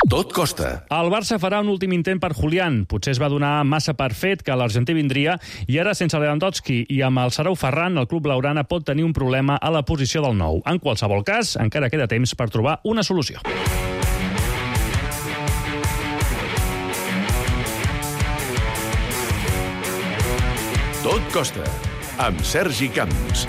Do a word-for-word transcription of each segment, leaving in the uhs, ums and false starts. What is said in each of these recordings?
Tot costa. El Barça farà un últim intent per Julián. Potser es va donar massa per fet que l'argentí vindria i ara, sense Lewandowski i amb el Sarau Ferran, el club blaugrana pot tenir un problema a la posició del nou. En qualsevol cas, encara queda temps per trobar una solució. Tot costa, amb Sergi Camps.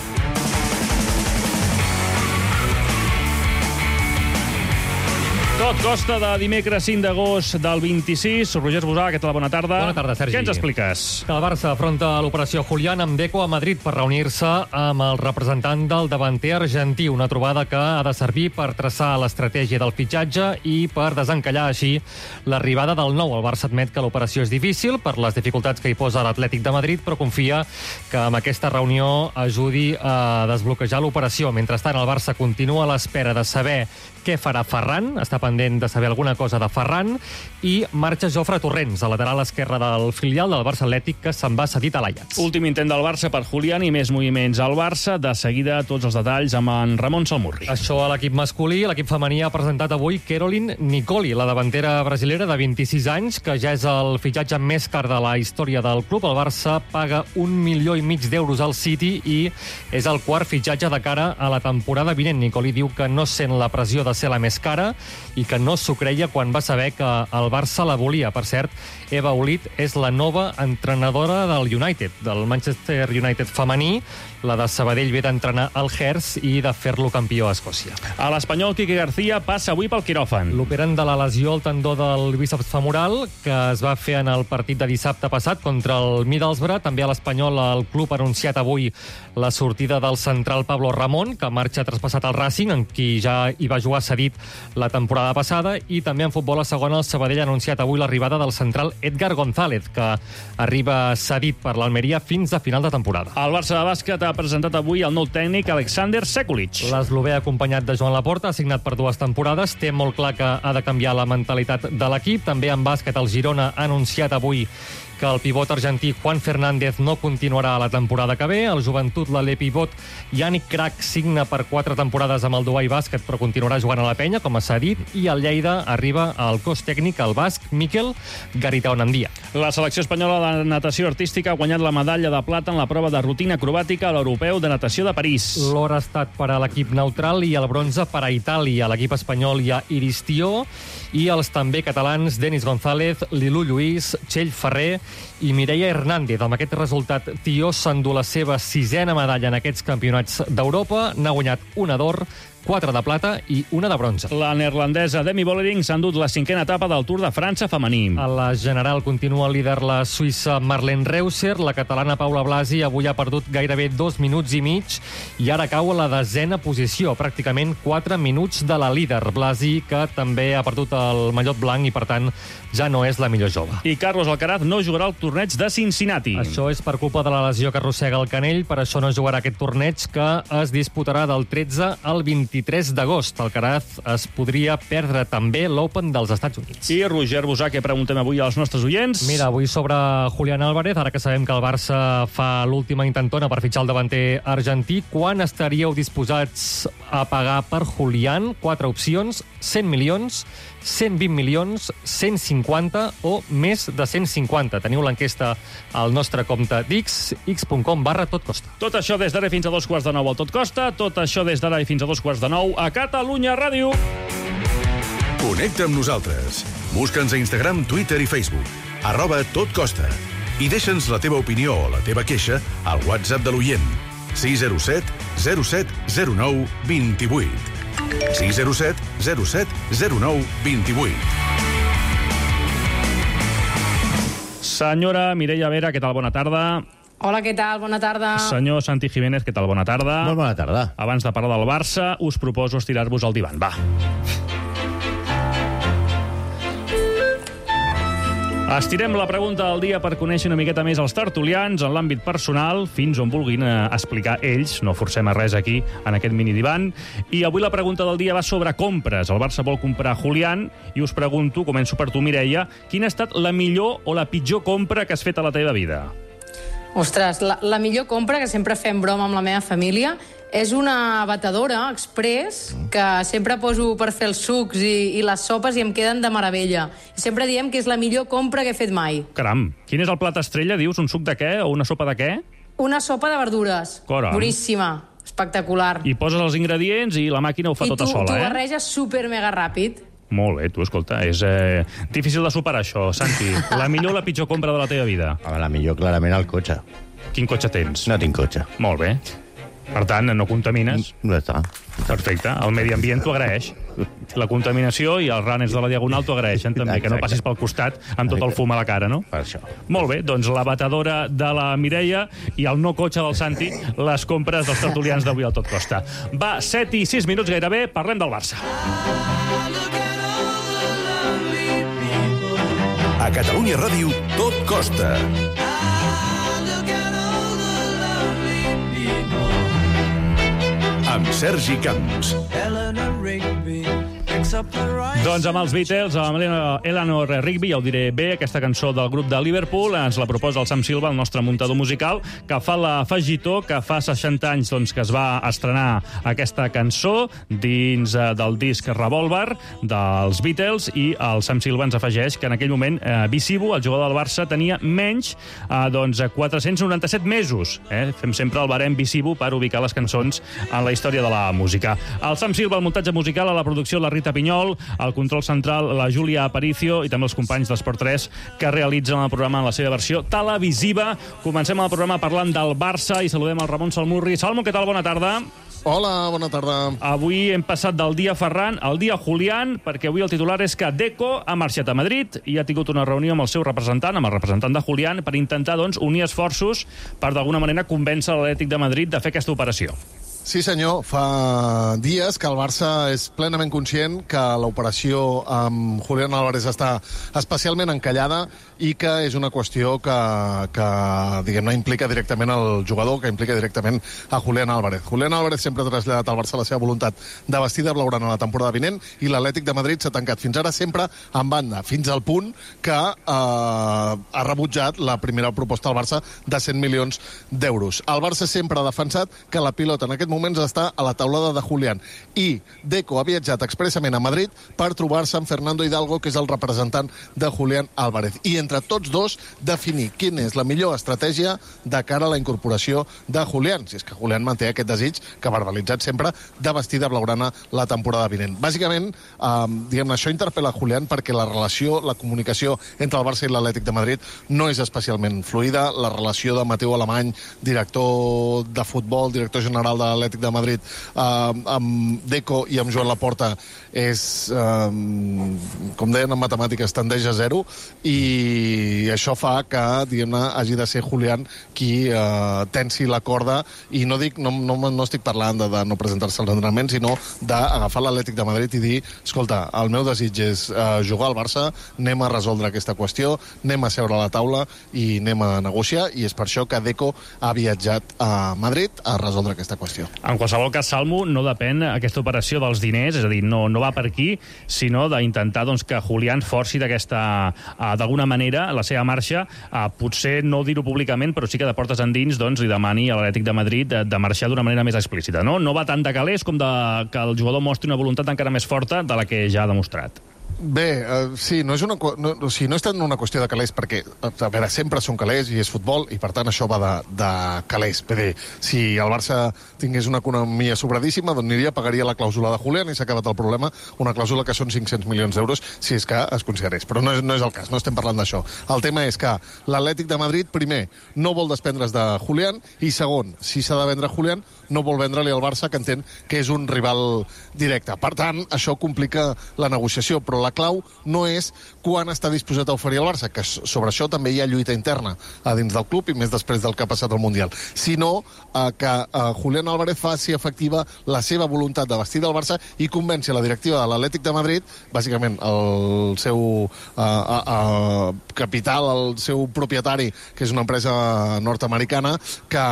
Tot costa de dimecres cinc d'agost del vint-i-sis. Roger Esbusà, què tal? Bona tarda. Bona tarda, Sergi. Què ens expliques? Que el Barça afronta l'operació Julián amb Deco a Madrid per reunir-se amb el representant del davanter argentí. Una trobada que ha de servir per traçar l'estratègia del fitxatge i per desencallar així l'arribada del nou. El Barça admet que l'operació és difícil per les dificultats que hi posa l'Atlètic de Madrid, però confia que amb aquesta reunió ajudi a desbloquejar l'operació. Mentrestant, el Barça continua a l'espera de saber què farà Ferran, està pendent de saber alguna cosa de Ferran, i marxa Jofre Torrents, a lateral esquerre del filial del Barça Atlètic, que se'n va cedit a l'Ajax. Últim intent del Barça per Julián i més moviments al Barça. De seguida, tots els detalls amb en Ramon Salmurri. Això a l'equip masculí. L'equip femení ha presentat avui Caroline Nicoli, la davantera brasilera de vint-i-sis anys, que ja és el fitxatge més car de la història del club. El Barça paga un milió i mig d'euros al City i és el quart fitxatge de cara a la temporada vinent. Nicoli diu que no sent la pressió de ser la més cara i que no s'ho creia quan va saber que el Barça la volia. Per cert, Eva Olit és la nova entrenadora del United, del Manchester United femení. La de Sabadell ve d'entrenar el Hertz i de fer-lo campió a Escòcia. A l'espanyol, Quique García passa avui pel quiròfan. L'operen de la lesió al tendó del bíceps femoral, que es va fer en el partit de dissabte passat contra el Middlesbrough. També a l'espanyol, el club ha anunciat avui la sortida del central Pablo Ramón, que marxa traspassat al Racing, en qui ja hi va jugar cedit la temporada passada. I també en futbol a segona, el Sabadell ha anunciat avui l'arribada del central Edgar González, que arriba cedit per l'Almeria fins a final de temporada. El Barça de bàsquet ha presentat avui el nou tècnic Alexander Sekulic. L'eslovè, acompanyat de Joan Laporta, ha signat per dues temporades. Té molt clar que ha de canviar la mentalitat de l'equip. També en bàsquet, el Girona ha anunciat avui que el pivot argentí Juan Fernández no continuarà a la temporada que ve. El Joventut, l'ale pivot Yannick Crac signa per quatre temporades amb el Dubai Bàsquet, però continuarà jugant a la penya, com s'ha dit. I el Lleida arriba al cos tècnic, el basc Miquel Garitaonandia. La selecció espanyola de natació artística ha guanyat la medalla de plata en la prova de rutina acrobàtica a l'Europeu de Natació de París. L'or ha estat per a l'equip neutral i el bronze per a Itàlia. A l'equip espanyol hi ha Iris Tió i els també catalans Denis González, Lilú Lluís, Txell Ferrer i Mireia Hernández. Amb aquest resultat, Tió s'endú la seva sisena medalla en aquests campionats d'Europa. N'ha guanyat una d'or, quatre de plata i una de bronze. La neerlandesa Demi Vollering s'ha endut la cinquena etapa del Tour de França femení. A la general continua líder la suïssa Marlene Reusser. La catalana Paula Blasi avui ha perdut gairebé dos minuts i mig i ara cau a la desena posició, pràcticament quatre minuts de la líder. Blasi, que també ha perdut el mallot blanc i, per tant, ja no és la millor jove. I Carlos Alcaraz no jugarà al torneig de Cincinnati. Això és per culpa de la lesió que arrossega el canell. Per això no jugarà aquest torneig, que es disputarà del tretze al vint-i-tres d'agost. Alcaraz es podria perdre també l'Open dels Estats Units. I Roger Busà, què preguntem avui als nostres oients? Mira, avui sobre Julián Álvarez, ara que sabem que el Barça fa l'última intentona per fitxar el davanter argentí, quan estaríeu disposats a pagar per Julián? Quatre opcions: cent milions, cent vint milions, cent cinquanta o més de cent cinquanta. Teniu l'enquesta al nostre compte d'X, x.com barra totcosta. Tot això des d'ara fins a dos quarts de nou al Tot Costa. Tot això des d'ara fins a dos quarts de nou a Catalunya Ràdio. Connecta amb nosaltres. Busca'ns a Instagram, Twitter i Facebook. Arroba Tot Costa. I deixa'ns la teva opinió o la teva queixa al WhatsApp de l'oient. sis zero set zero set zero nou dos vuit. sis zero set zero set zero nou dos vuit. Senyora Mireia Vera, què tal? Bona tarda. Hola, què tal? Bona tarda. Senyor Santi Jiménez, què tal? Bona tarda. Molt bona tarda. Abans de parlar del Barça, us proposo estirar-vos al divan. Va. Estirem la pregunta del dia per conèixer una miqueta més els tertulians en l'àmbit personal, fins on vulguin eh, explicar ells. No forcem a res aquí, en aquest mini-divan. I avui la pregunta del dia va sobre compres. El Barça vol comprar Julián i us pregunto, començo per tu, Mireia, quina ha estat la millor o la pitjor compra que has fet a la teva vida? Ostres, la, la millor compra, que sempre fem broma amb la meva família, És una batedora express que sempre poso per fer els sucs i, i les sopes i em queden de meravella. I sempre diem que és la millor compra que he fet mai. Caram, quin és el plat estrella, dius? Un suc de què o una sopa de què? Una sopa de verdures. Caram. Boníssima, espectacular. I poses els ingredients i la màquina ho fa I tota tu, sola, tu eh? barreges super mega ràpid. Molt bé, tu, escolta, és eh, difícil de superar això, Santi. La millor o la pitjor compra de la teva vida? Home, la millor, clarament, el cotxe. Quin cotxe tens? No tinc cotxe. Molt bé. Per tant, no contamines. No està. Perfecte. El medi ambient t'ho agraeix. La contaminació i els runners de la Diagonal t'ho agraeixen també, que no passis pel costat amb tot el fum a la cara, no? Per això. Molt bé, doncs la batedora de la Mireia i el no cotxe del Santi, les compres dels tertulians d'avui al Tot Costa. Va, set i sis minuts gairebé, parlem del Barça. A Catalunya Ràdio, Tot Costa. Amb Sergi Camps. Doncs amb els Beatles, amb Eleanor Rigby, ja ho diré bé, aquesta cançó del grup de Liverpool, ens la proposa el Sam Silva, el nostre muntador musical, que fa l'afegitó que fa seixanta anys doncs, que es va estrenar aquesta cançó dins eh, del disc Revolver dels Beatles, i el Sam Silva ens afegeix que en aquell moment eh, Visivo, el jugador del Barça, tenia menys eh, doncs, quatre-cents noranta-set mesos. Eh? Fem sempre el barem Visivo per ubicar les cançons en la història de la música. El Sam Silva, el muntatge musical, a la producció la Rita Pinyol, al control central la Júlia Aparicio i també els companys d'Esport tres que realitzen el programa en la seva versió televisiva. Comencem el programa parlant del Barça i saludem el Ramon Salmurri. Salmo, què tal? Bona tarda. Hola, bona tarda. Avui hem passat del dia Ferran al dia Julián, perquè avui el titular és que Deco ha marxat a Madrid i ha tingut una reunió amb el seu representant, amb el representant de Julián, per intentar doncs, unir esforços per d'alguna manera convèncer l'Atlètic de Madrid de fer aquesta operació. Sí, senyor. Fa dies que el Barça és plenament conscient que l'operació amb Julián Álvarez està especialment encallada i que és una qüestió que, que diguem-ne, implica directament el jugador, que implica directament a Julián Álvarez. Julián Álvarez sempre ha traslladat al Barça la seva voluntat de vestir de blaugrana a la temporada vinent i l'Atlètic de Madrid s'ha tancat fins ara sempre en banda, fins al punt que eh, ha rebutjat la primera proposta al Barça de cent milions d'euros. El Barça sempre ha defensat que la pilota en aquest moment moments està a la taulada de Julián. I Deco ha viatjat expressament a Madrid per trobar-se amb Fernando Hidalgo, que és el representant de Julián Álvarez. I entre tots dos definir quina és la millor estratègia de cara a la incorporació de Julián, si és que Julián manté aquest desig que ha verbalitzat sempre de vestir de blaugrana la temporada vinent. Bàsicament, eh, diguem-ne, això interpel·la Julián perquè la relació, la comunicació entre el Barça i l'Atlètic de Madrid no és especialment fluida. La relació de Mateu Alemany, director de futbol, director general de l'Atlètic de Madrid, eh, amb Deco i amb Joan Laporta és, eh, com deien en matemàtiques, tendeix a zero, i això fa que, diguem-ne, hagi de ser Julián qui eh, tensi la corda, i no dic, no, no, no estic parlant de, de no presentar-se als entrenaments, sinó d'agafar l'Atlètic de Madrid i dir, escolta, el meu desig és eh, jugar al Barça, anem a resoldre aquesta qüestió, anem a seure a la taula i anem a negociar, i és per això que Deco ha viatjat a Madrid a resoldre aquesta qüestió. En qualsevol cas, Salmo, no depèn aquesta operació dels diners, és a dir, no, no va per aquí, sinó d'intentar doncs, que Julián forci d'aquesta, uh, d'alguna manera, la seva marxa, uh, potser no dir-ho públicament, però sí que de portes endins doncs, li demani a l'Atlètic de Madrid de, de marxar d'una manera més explícita. No? no va tant de calés com de, que el jugador mostri una voluntat encara més forta de la que ja ha demostrat. Bé, uh, sí, no és, una, no, o sigui, no és tant una qüestió de calés, perquè, a veure, sempre són calés i és futbol, i per tant això va de, de calés. Bé, si el Barça tingués una economia sobradíssima, doncs aniria, pagaria la clàusula de Julián i s'ha acabat el problema, una clàusula que són cinc-cents milions d'euros, si és que es considerés. Però no és, no és el cas, no estem parlant d'això. El tema és que l'Atlètic de Madrid, primer, no vol desprendre's de Julián, i segon, si s'ha de vendre Julián, no vol vendre-li al Barça, que entén que és un rival directe. Per tant, això complica la negociació, però la clau no és quan està disposat a oferir el Barça, que sobre això també hi ha lluita interna a dins del club, i més després del que ha passat al Mundial, sinó eh, que eh, Julián Álvarez faci efectiva la seva voluntat de vestir del Barça i convenci la directiva de l'Atlètic de Madrid, bàsicament el seu eh, eh, capital, el seu propietari, que és una empresa nord-americana, que,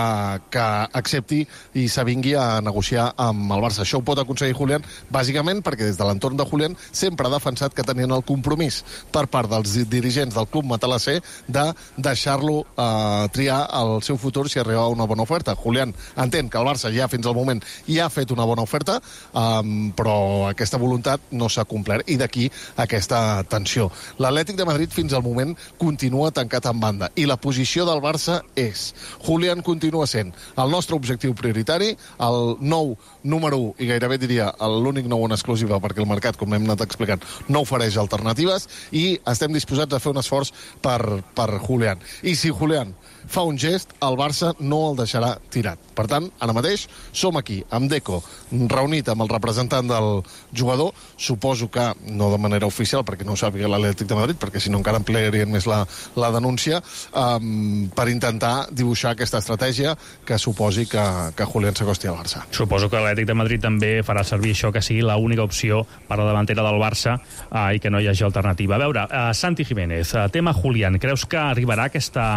que accepti i s'avingui a negociar amb el Barça. Això ho pot aconseguir Julián, bàsicament perquè des de l'entorn de Julián sempre ha defensat pensat que tenien el compromís per part dels dirigents del club matalasser de deixar-lo eh, triar el seu futur si arribava una bona oferta. Julián entén que el Barça ja fins al moment ja ha fet una bona oferta, eh, però aquesta voluntat no s'ha complert, i d'aquí aquesta tensió. L'Atlètic de Madrid fins al moment continua tancat en banda, i la posició del Barça és: Julián continua sent el nostre objectiu prioritari, el nou número u, i gairebé diria l'únic nou en exclusiva, perquè el mercat, com hem anat explicant, no ofereix alternatives, i estem disposats a fer un esforç per, per Julián. I si Julián fa un gest, el Barça no el deixarà tirat. Per tant, ara mateix som aquí, amb Deco, reunit amb el representant del jugador, suposo que no de manera oficial, perquè no ho sàpiga l'Atlètic de Madrid, perquè si no encara ampliarien més la, la denúncia, um, per intentar dibuixar aquesta estratègia que suposi que, que Julián s'acosti al Barça. Suposo que l'Atlètic de Madrid també farà servir això, que sigui l'única opció per a la davantera del Barça uh, i que no hi hagi alternativa. A veure, uh, Santi Jiménez, uh, tema Julián, creus que arribarà aquesta,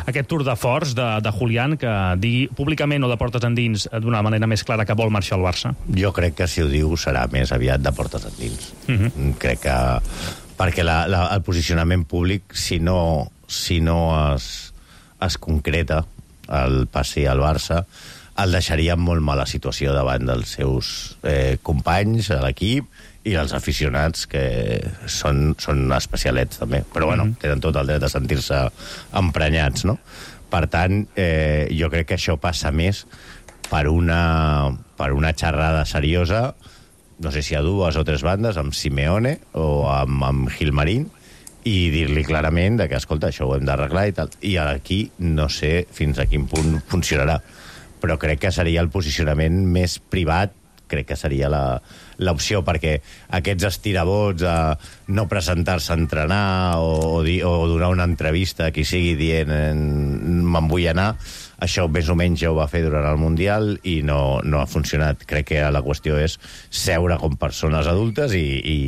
aquest tour de force de, de Julián, que digui públicament o de portes endins d'una manera més clara que vol marxar al Barça? Jo crec que si ho diu serà més aviat de portes endins. Uh-huh. Crec que... Perquè la, la, el posicionament públic, si no, si no es, es concreta el passi al Barça, el deixaria en molt mala situació davant dels seus eh, companys a l'equip i els aficionats, que són, són especialets també, però bueno, mm-hmm. tenen tot el dret a sentir-se emprenyats, no? Per tant, eh, jo crec que això passa més per una, per una xerrada seriosa, no sé si a dues o tres bandes, amb Simeone o amb, amb Gilmarín, i dir-li clarament de que, escolta, això ho hem d'arreglar i tal. I aquí no sé fins a quin punt funcionarà, però crec que seria el posicionament més privat, crec que seria la, l'opció, perquè aquests estirabots a no presentar-se a entrenar o, o, dir, o donar una entrevista a qui sigui dient me'n vull anar, això més o menys ja ho va fer durant el Mundial i no, no ha funcionat. Crec que la qüestió és seure com persones adultes i, i,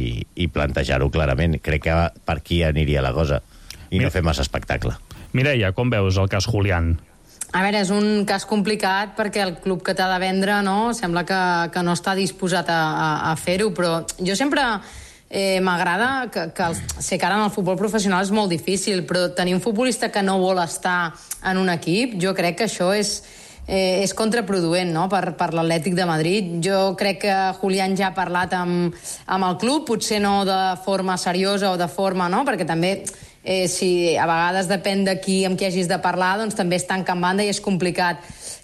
i plantejar-ho clarament. Crec que per aquí aniria la cosa i no fer massa espectacle. Mireia, com veus el cas Julián? A veure, és un cas complicat perquè el club que t'ha de vendre, no, sembla que, que no està disposat a, a, a fer-ho, però jo sempre eh, m'agrada que, que el, sé que ara en el futbol professional és molt difícil, però tenir un futbolista que no vol estar en un equip, jo crec que això és, eh, és contraproduent, no?, per, per l'Atlètic de Madrid. Jo crec que Julián ja ha parlat amb, amb el club, potser no de forma seriosa o de forma, no?, perquè també... Eh, si a vegades depèn de qui amb qui hagis de parlar, doncs també es tanca en banda i és complicat.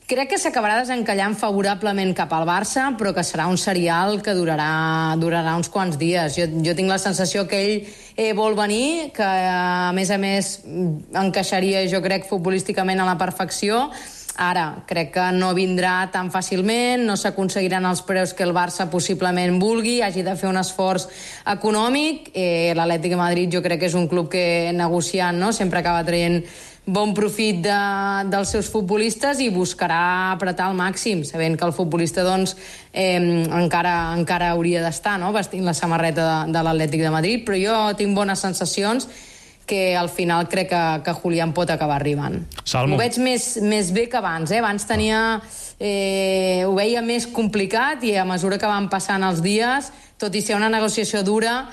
Crec que s'acabarà desencallant favorablement cap al Barça, però que serà un serial que durarà, durarà uns quants dies. Jo, jo tinc la sensació que ell eh, vol venir, que a més a més encaixaria, jo crec, futbolísticament a la perfecció. Ara, crec que no vindrà tan fàcilment, no s'aconseguiran els preus que el Barça possiblement vulgui, hagi de fer un esforç econòmic. Eh, L'Atlètic de Madrid jo crec que és un club que negociant, no?, sempre acaba traient bon profit de, dels seus futbolistes i buscarà apretar al màxim, sabent que el futbolista doncs, eh, encara, encara hauria d'estar, no?, vestint la samarreta de, de l'Atlètic de Madrid, però jo tinc bones sensacions que al final crec que, que Julián pot acabar arribant. Salmo. Ho veig més, més bé que abans, eh? Abans tenia... Eh, ho veia més complicat i a mesura que van passant els dies, tot i ser una negociació dura,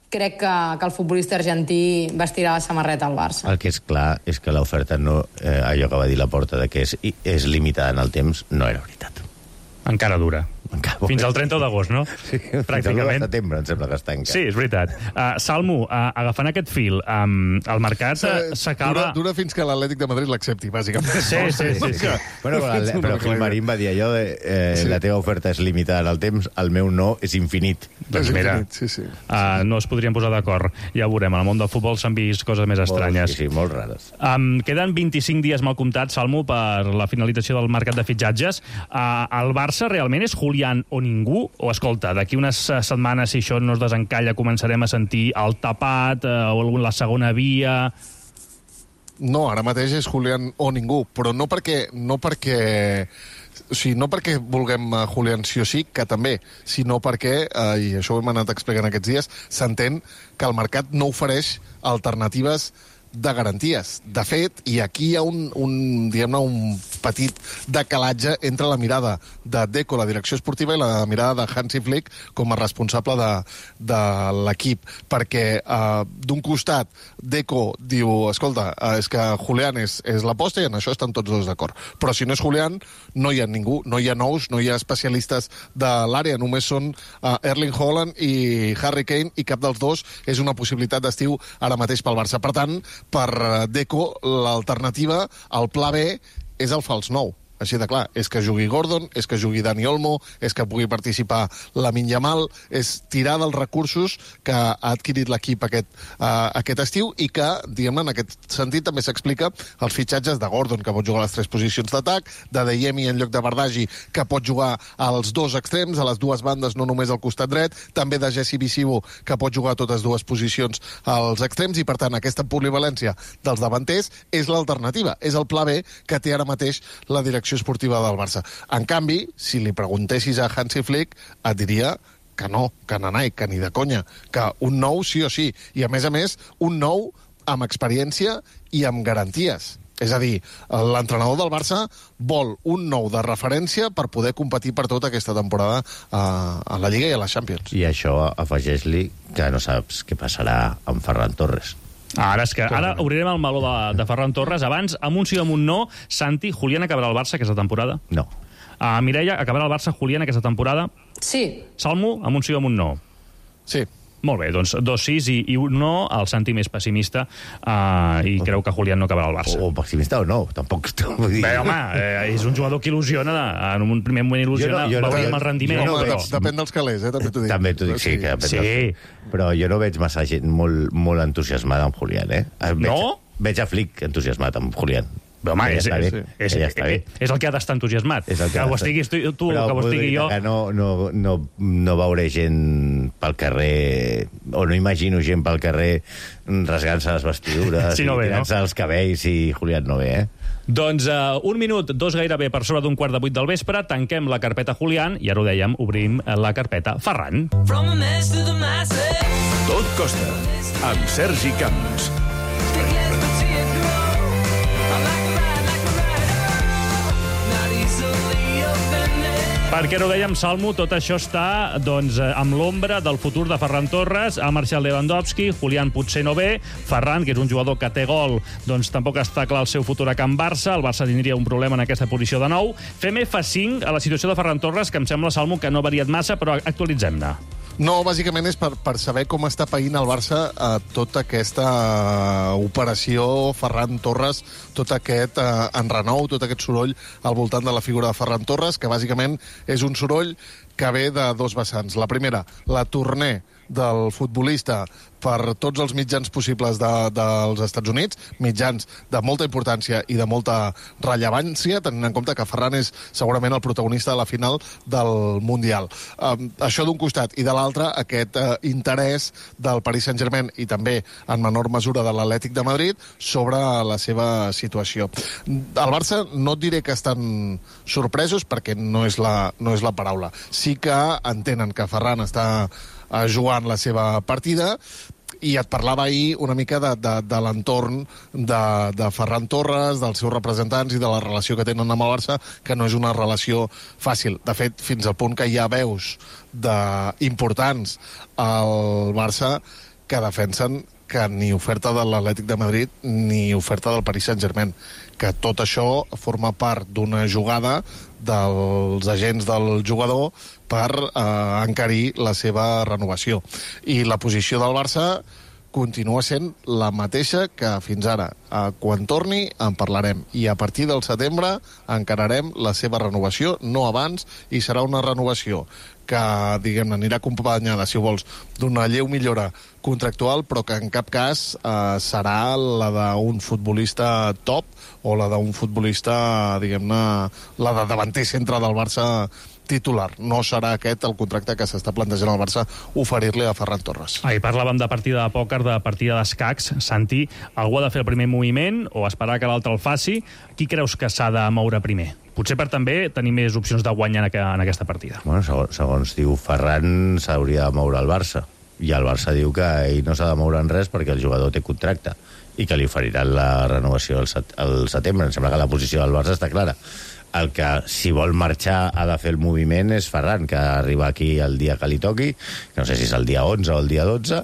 crec que, que el futbolista argentí vestirà la samarreta al Barça. El que és clar és que l'oferta, no, eh, allò que va dir Laporta, de que és, és limitada en el temps, no era veritat. Encara dura. Encara, fins al trenta d'agost, no? Sí, pràcticament. Fins al setembre, em sembla que està encara. Sí, és veritat. Uh, Salmo, uh, agafant aquest fil, um, el mercat uh, s'acaba... Dura, dura fins que l'Atlètic de Madrid l'accepti, bàsicament. Sí, sí, sí. sí. Bueno, però, però Gilmarín va dir allò de eh, sí. La teva oferta és limitada en el temps, el meu no és infinit. Doncs és mira, infinit, sí, sí. Uh, no es podrien posar d'acord. Ja ho veurem, en el món del futbol s'han vist coses més estranyes. Sí, sí, molt rares. Um, queden vint-i-cinc dies mal comptats, Salmo, per la finalització del mercat de fitxatges. Uh, el Barça realment és Julián o ningú? O, escolta, d'aquí unes setmanes, si això no es desencalla, començarem a sentir el tapat eh, o la segona via... No, ara mateix és Julián o ningú, però no perquè... No perquè... O sigui, no perquè vulguem uh, Julián sí o sí, que també, sinó perquè, uh, i això ho hem anat explicant aquests dies, s'entén que el mercat no ofereix alternatives de garanties. De fet, i aquí hi ha un, un, diguem-ne, un petit decalatge entre la mirada de Deco, la direcció esportiva, i la mirada de Hansi Flick com a responsable de, de l'equip. Perquè, eh, d'un costat, Deco diu, escolta, eh, és que Julián és, és l'aposta i en això estan tots dos d'acord. Però si no és Julián, no hi ha ningú, no hi ha nous, no hi ha especialistes de l'àrea, només són eh, Erling Haaland i Harry Kane, i cap dels dos és una possibilitat d'estiu ara mateix pel Barça. Per tant, per Deco, l'alternativa, el pla B, és el fals nou. Així de clar, és que jugui Gordon, és que jugui Dani Olmo, és que pugui participar Lamine Yamal, és tirar dels recursos que ha adquirit l'equip aquest, uh, aquest estiu i que, diguem-ne, en aquest sentit també s'explica els fitxatges de Gordon, que pot jugar a les tres posicions d'atac, de Deyemi en lloc de Bardagi, que pot jugar als dos extrems, a les dues bandes, no només al costat dret, també de Jesse Visivo, que pot jugar a totes dues posicions als extrems, i per tant aquesta polivalència dels davanters és l'alternativa, és el pla B que té ara mateix la direcció esportiva del Barça. En canvi, si li preguntessis a Hansi Flick, et diria que no, que nanai, que ni de conya, que un nou sí o sí, i a més a més, un nou amb experiència i amb garanties. És a dir, l'entrenador del Barça vol un nou de referència per poder competir per tota aquesta temporada a la Lliga i a la Champions. I això afegeix-li que no saps què passarà amb Ferran Torres. Ara és que ara obrirem el meló de, de Ferran Torres. Abans, amb un sí o amb un no, Santi, Julián acabarà al Barça aquesta temporada? No. Uh, Mireia, acabarà al Barça Julián aquesta temporada? Sí. Salmo, amb un sí o amb un no? Sí. Molt bé, doncs dos sís i, i un no, el Santi més pessimista, uh, i oh. creu que Julián no acabarà al Barça. O, o pessimista o no, tampoc... Vull dir... Bé, home, eh, és un jugador que il·lusiona, en un primer moment il·lusiona, jo no, jo veuríem no, el rendiment. No, però... Depèn dels calés, eh, també t'ho dic. També t'ho dic, sí. Que depèn sí. Dels... Però jo no veig massa gent molt, molt entusiasmada amb Julián, eh? Veig, no? Veig a Flick entusiasmat amb Julián. Però, home, és, és, és, ja és, és el que ha d'estar entusiasmat. És el que, que ho estiguis tu, tu però, que ho estigui jo. Que no, no, no, no veuré gent pel carrer, o no imagino gent pel carrer rasgant-se les vestidures sí, no i ve, tirant-se no? els cabells i Julián no ve, eh? Doncs uh, un minut, dos gairebé per sobre d'un quart de vuit del vespre, tanquem la carpeta Julián i ara ho dèiem, obrim la carpeta Ferran. Tot costa, amb Sergi Camps. Perquè no dèiem, Salmo, tot això està doncs, amb l'ombra del futur de Ferran Torres. Ha marxat Lewandowski, Julián potser no ve, Ferran, que és un jugador que té gol, doncs tampoc està clar el seu futur a Can Barça, el Barça tindria un problema en aquesta posició de nou. Fem F cinc a la situació de Ferran Torres, que em sembla, Salmo, que no ha variat massa, però actualitzem-ne. No, bàsicament és per, per saber com està païnt el Barça eh, tota aquesta eh, operació Ferran Torres, tot aquest eh, enrenou, tot aquest soroll al voltant de la figura de Ferran Torres, que bàsicament és un soroll que ve de dos vessants. La primera, la tournée del futbolista per tots els mitjans possibles de, dels Estats Units, mitjans de molta importància i de molta rellevància, tenint en compte que Ferran és segurament el protagonista de la final del Mundial. Um, això d'un costat, i de l'altre, aquest uh, interès del Paris Saint-Germain i també, en menor mesura, de l'Atlètic de Madrid sobre la seva situació. El Barça no et diré que estan sorpresos, perquè no és la, no és la paraula. Sí que entenen que Ferran està uh, jugant la seva partida, i et parlava ahir una mica de, de, de l'entorn de, de Ferran Torres, dels seus representants i de la relació que tenen amb el Barça, que no és una relació fàcil. De fet, fins al punt que hi ha veus de, importants al Barça que defensen que ni oferta de l'Atlètic de Madrid ni oferta del Paris Saint-Germain, que tot això forma part d'una jugada dels agents del jugador per eh, encarir la seva renovació. I la posició del Barça continua sent la mateixa que fins ara. Eh, quan torni en parlarem, i a partir del setembre encararem la seva renovació, no abans, i serà una renovació que, diguem-ne, anirà acompanyada, si vols, d'una lleu millora contractual, però que en cap cas eh, serà la d'un futbolista top o la d'un futbolista, diguem-ne, la de davanter centre del Barça titular. No serà aquest el contracte que s'està plantejant al Barça oferir-li a Ferran Torres. Ahir parlàvem de partida de pòquer, de partida d'escacs. Santi, algú ha de fer el primer moviment o esperar que l'altre el faci? Qui creus que s'ha de moure primer? Potser per també tenir més opcions de guanyar en aquesta partida. Bueno, segons, segons diu Ferran, s'hauria de moure el Barça. i el Barça diu que ell no s'ha de moure en res perquè el jugador té contracte i que li oferiran la renovació al, set al setembre. Em sembla que la posició del Barça està clara. El que, si vol marxar, ha de fer el moviment és Ferran, que arriba aquí el dia que li toqui, que no sé si és el dia onze o el dia dotze,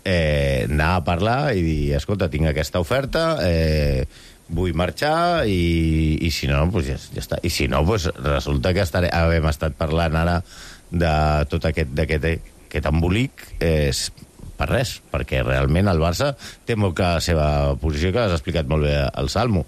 eh, anar a parlar i dir, escolta, tinc aquesta oferta, eh, vull marxar i, i si no, pues ja, ja està. I si no, pues resulta que estaré, hem estat parlant ara de tot aquest, d'aquest, aquest embolic eh, per res, perquè realment el Barça té molt clar la seva posició, que l'has explicat molt bé al Salmo.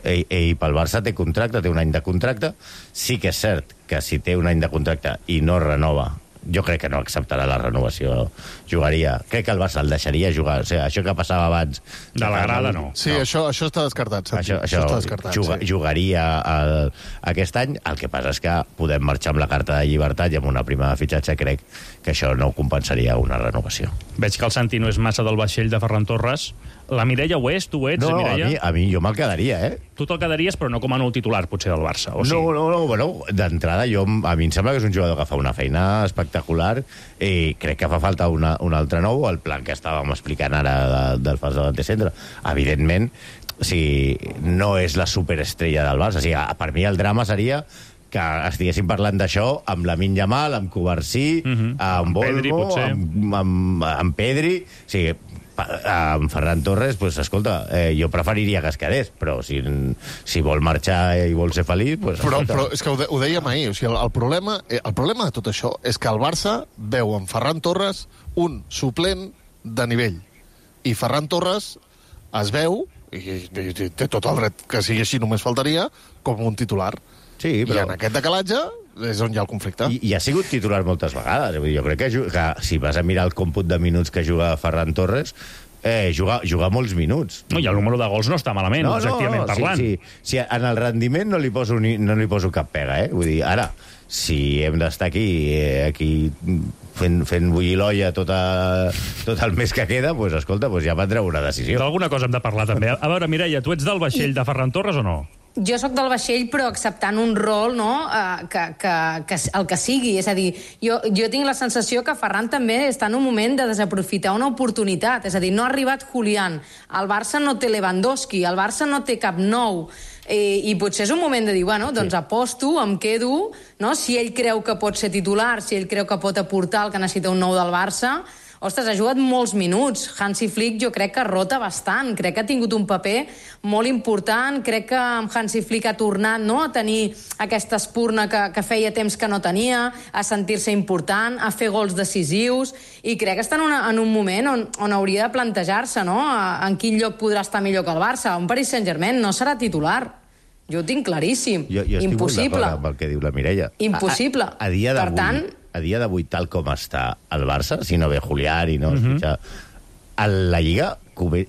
Ell, ell pel Barça té contracte, té un any de contracte. Sí que és cert que si té un any de contracte i no renova, jo crec que no acceptarà la renovació, jugaria. Crec que el Barça el deixaria jugar. O sigui, això que passava abans... De la grada, no. Sí, no. Això, això està descartat. Això, això, això està descartat, juga, sí. Jugaria el, aquest any. El que passa és que podem marxar amb la carta de llibertat i amb una prima de fitxatge. Crec que això no compensaria una renovació. Veig que el Santi no és massa del vaixell de Ferran Torres. La Mireia ho és? Tu ho ets, no, Mireia? A mi, a mi jo me'l quedaria, eh? Tu te'l quedaries, però no com a nou titular, potser, del Barça, o sí? No, no, no, bueno, d'entrada jo, a mi em sembla que és un jugador que fa una feina espectacular i crec que fa falta una, un altre nou, el plan que estàvem explicant ara de, del fals davanter centre. Evidentment, o sigui, no és la superestrella del Barça. O sigui, per mi el drama seria que estiguéssim parlant d'això amb Lamine Yamal, amb Cubarsí, uh -huh. amb Olmo, amb, amb, amb Pedri... O sigui, amb Ferran Torres, pues, escolta, eh, jo preferiria que es quedés, però si, si vol marxar i vol ser feliç... Pues, però, però és que ho, de, ho dèiem ahir, o sigui, el, el, problema, el problema de tot això és que el Barça veu en Ferran Torres un suplent de nivell. I Ferran Torres es veu, i, i, i té tot el dret que sigui així, només faltaria, com un titular. Sí, però... I en aquest decalatge és on hi ha el conflicte. I, i ha sigut titular moltes vegades. Jo crec que, que si vas a mirar el còmput de minuts que juga Ferran Torres, eh, juga, juga molts minuts. No, i el número de gols no està malament, no, objectivament no, no, parlant. Sí, sí. Si en el rendiment no li poso, ni, no li poso cap pega, eh? Vull dir, ara, si hem d'estar aquí, eh, aquí fent, fent bullir l'olla tot, a, tot el mes que queda, doncs, escolta, doncs ja prendreu una decisió. D'alguna cosa hem de parlar, també. A veure, Mireia, tu ets del vaixell de Ferran Torres o no? Jo sóc del vaixell, però acceptant un rol, no?, eh, que, que, que el que sigui. És a dir, jo, jo tinc la sensació que Ferran també està en un moment de desaprofitar una oportunitat. És a dir, no ha arribat Julián, el Barça no té Lewandowski, el Barça no té cap nou, eh, i potser és un moment de dir, bueno, doncs sí. aposto, em quedo, no?, si ell creu que pot ser titular, si ell creu que pot aportar el que necessita un nou del Barça. Ostres, ha jugat molts minuts. Hansi Flick jo crec que rota bastant. Crec que ha tingut un paper molt important. Crec que amb Hansi Flick ha tornat, no?, a tenir aquesta espurna que, que feia temps que no tenia, a sentir-se important, a fer gols decisius, i crec que està en, una, en un moment on, on hauria de plantejar-se, no?, en quin lloc podrà estar millor que el Barça. Un Paris Saint-Germain no serà titular. Jo ho tinc claríssim. Jo, jo estic Impossible. molt d'acord amb el que diu la Mireia. Impossible. A, a, a dia d'avui, per tant... a dia d'avui, tal com està el Barça, si no ve Julián i no es uh-huh. fixa, a la Lliga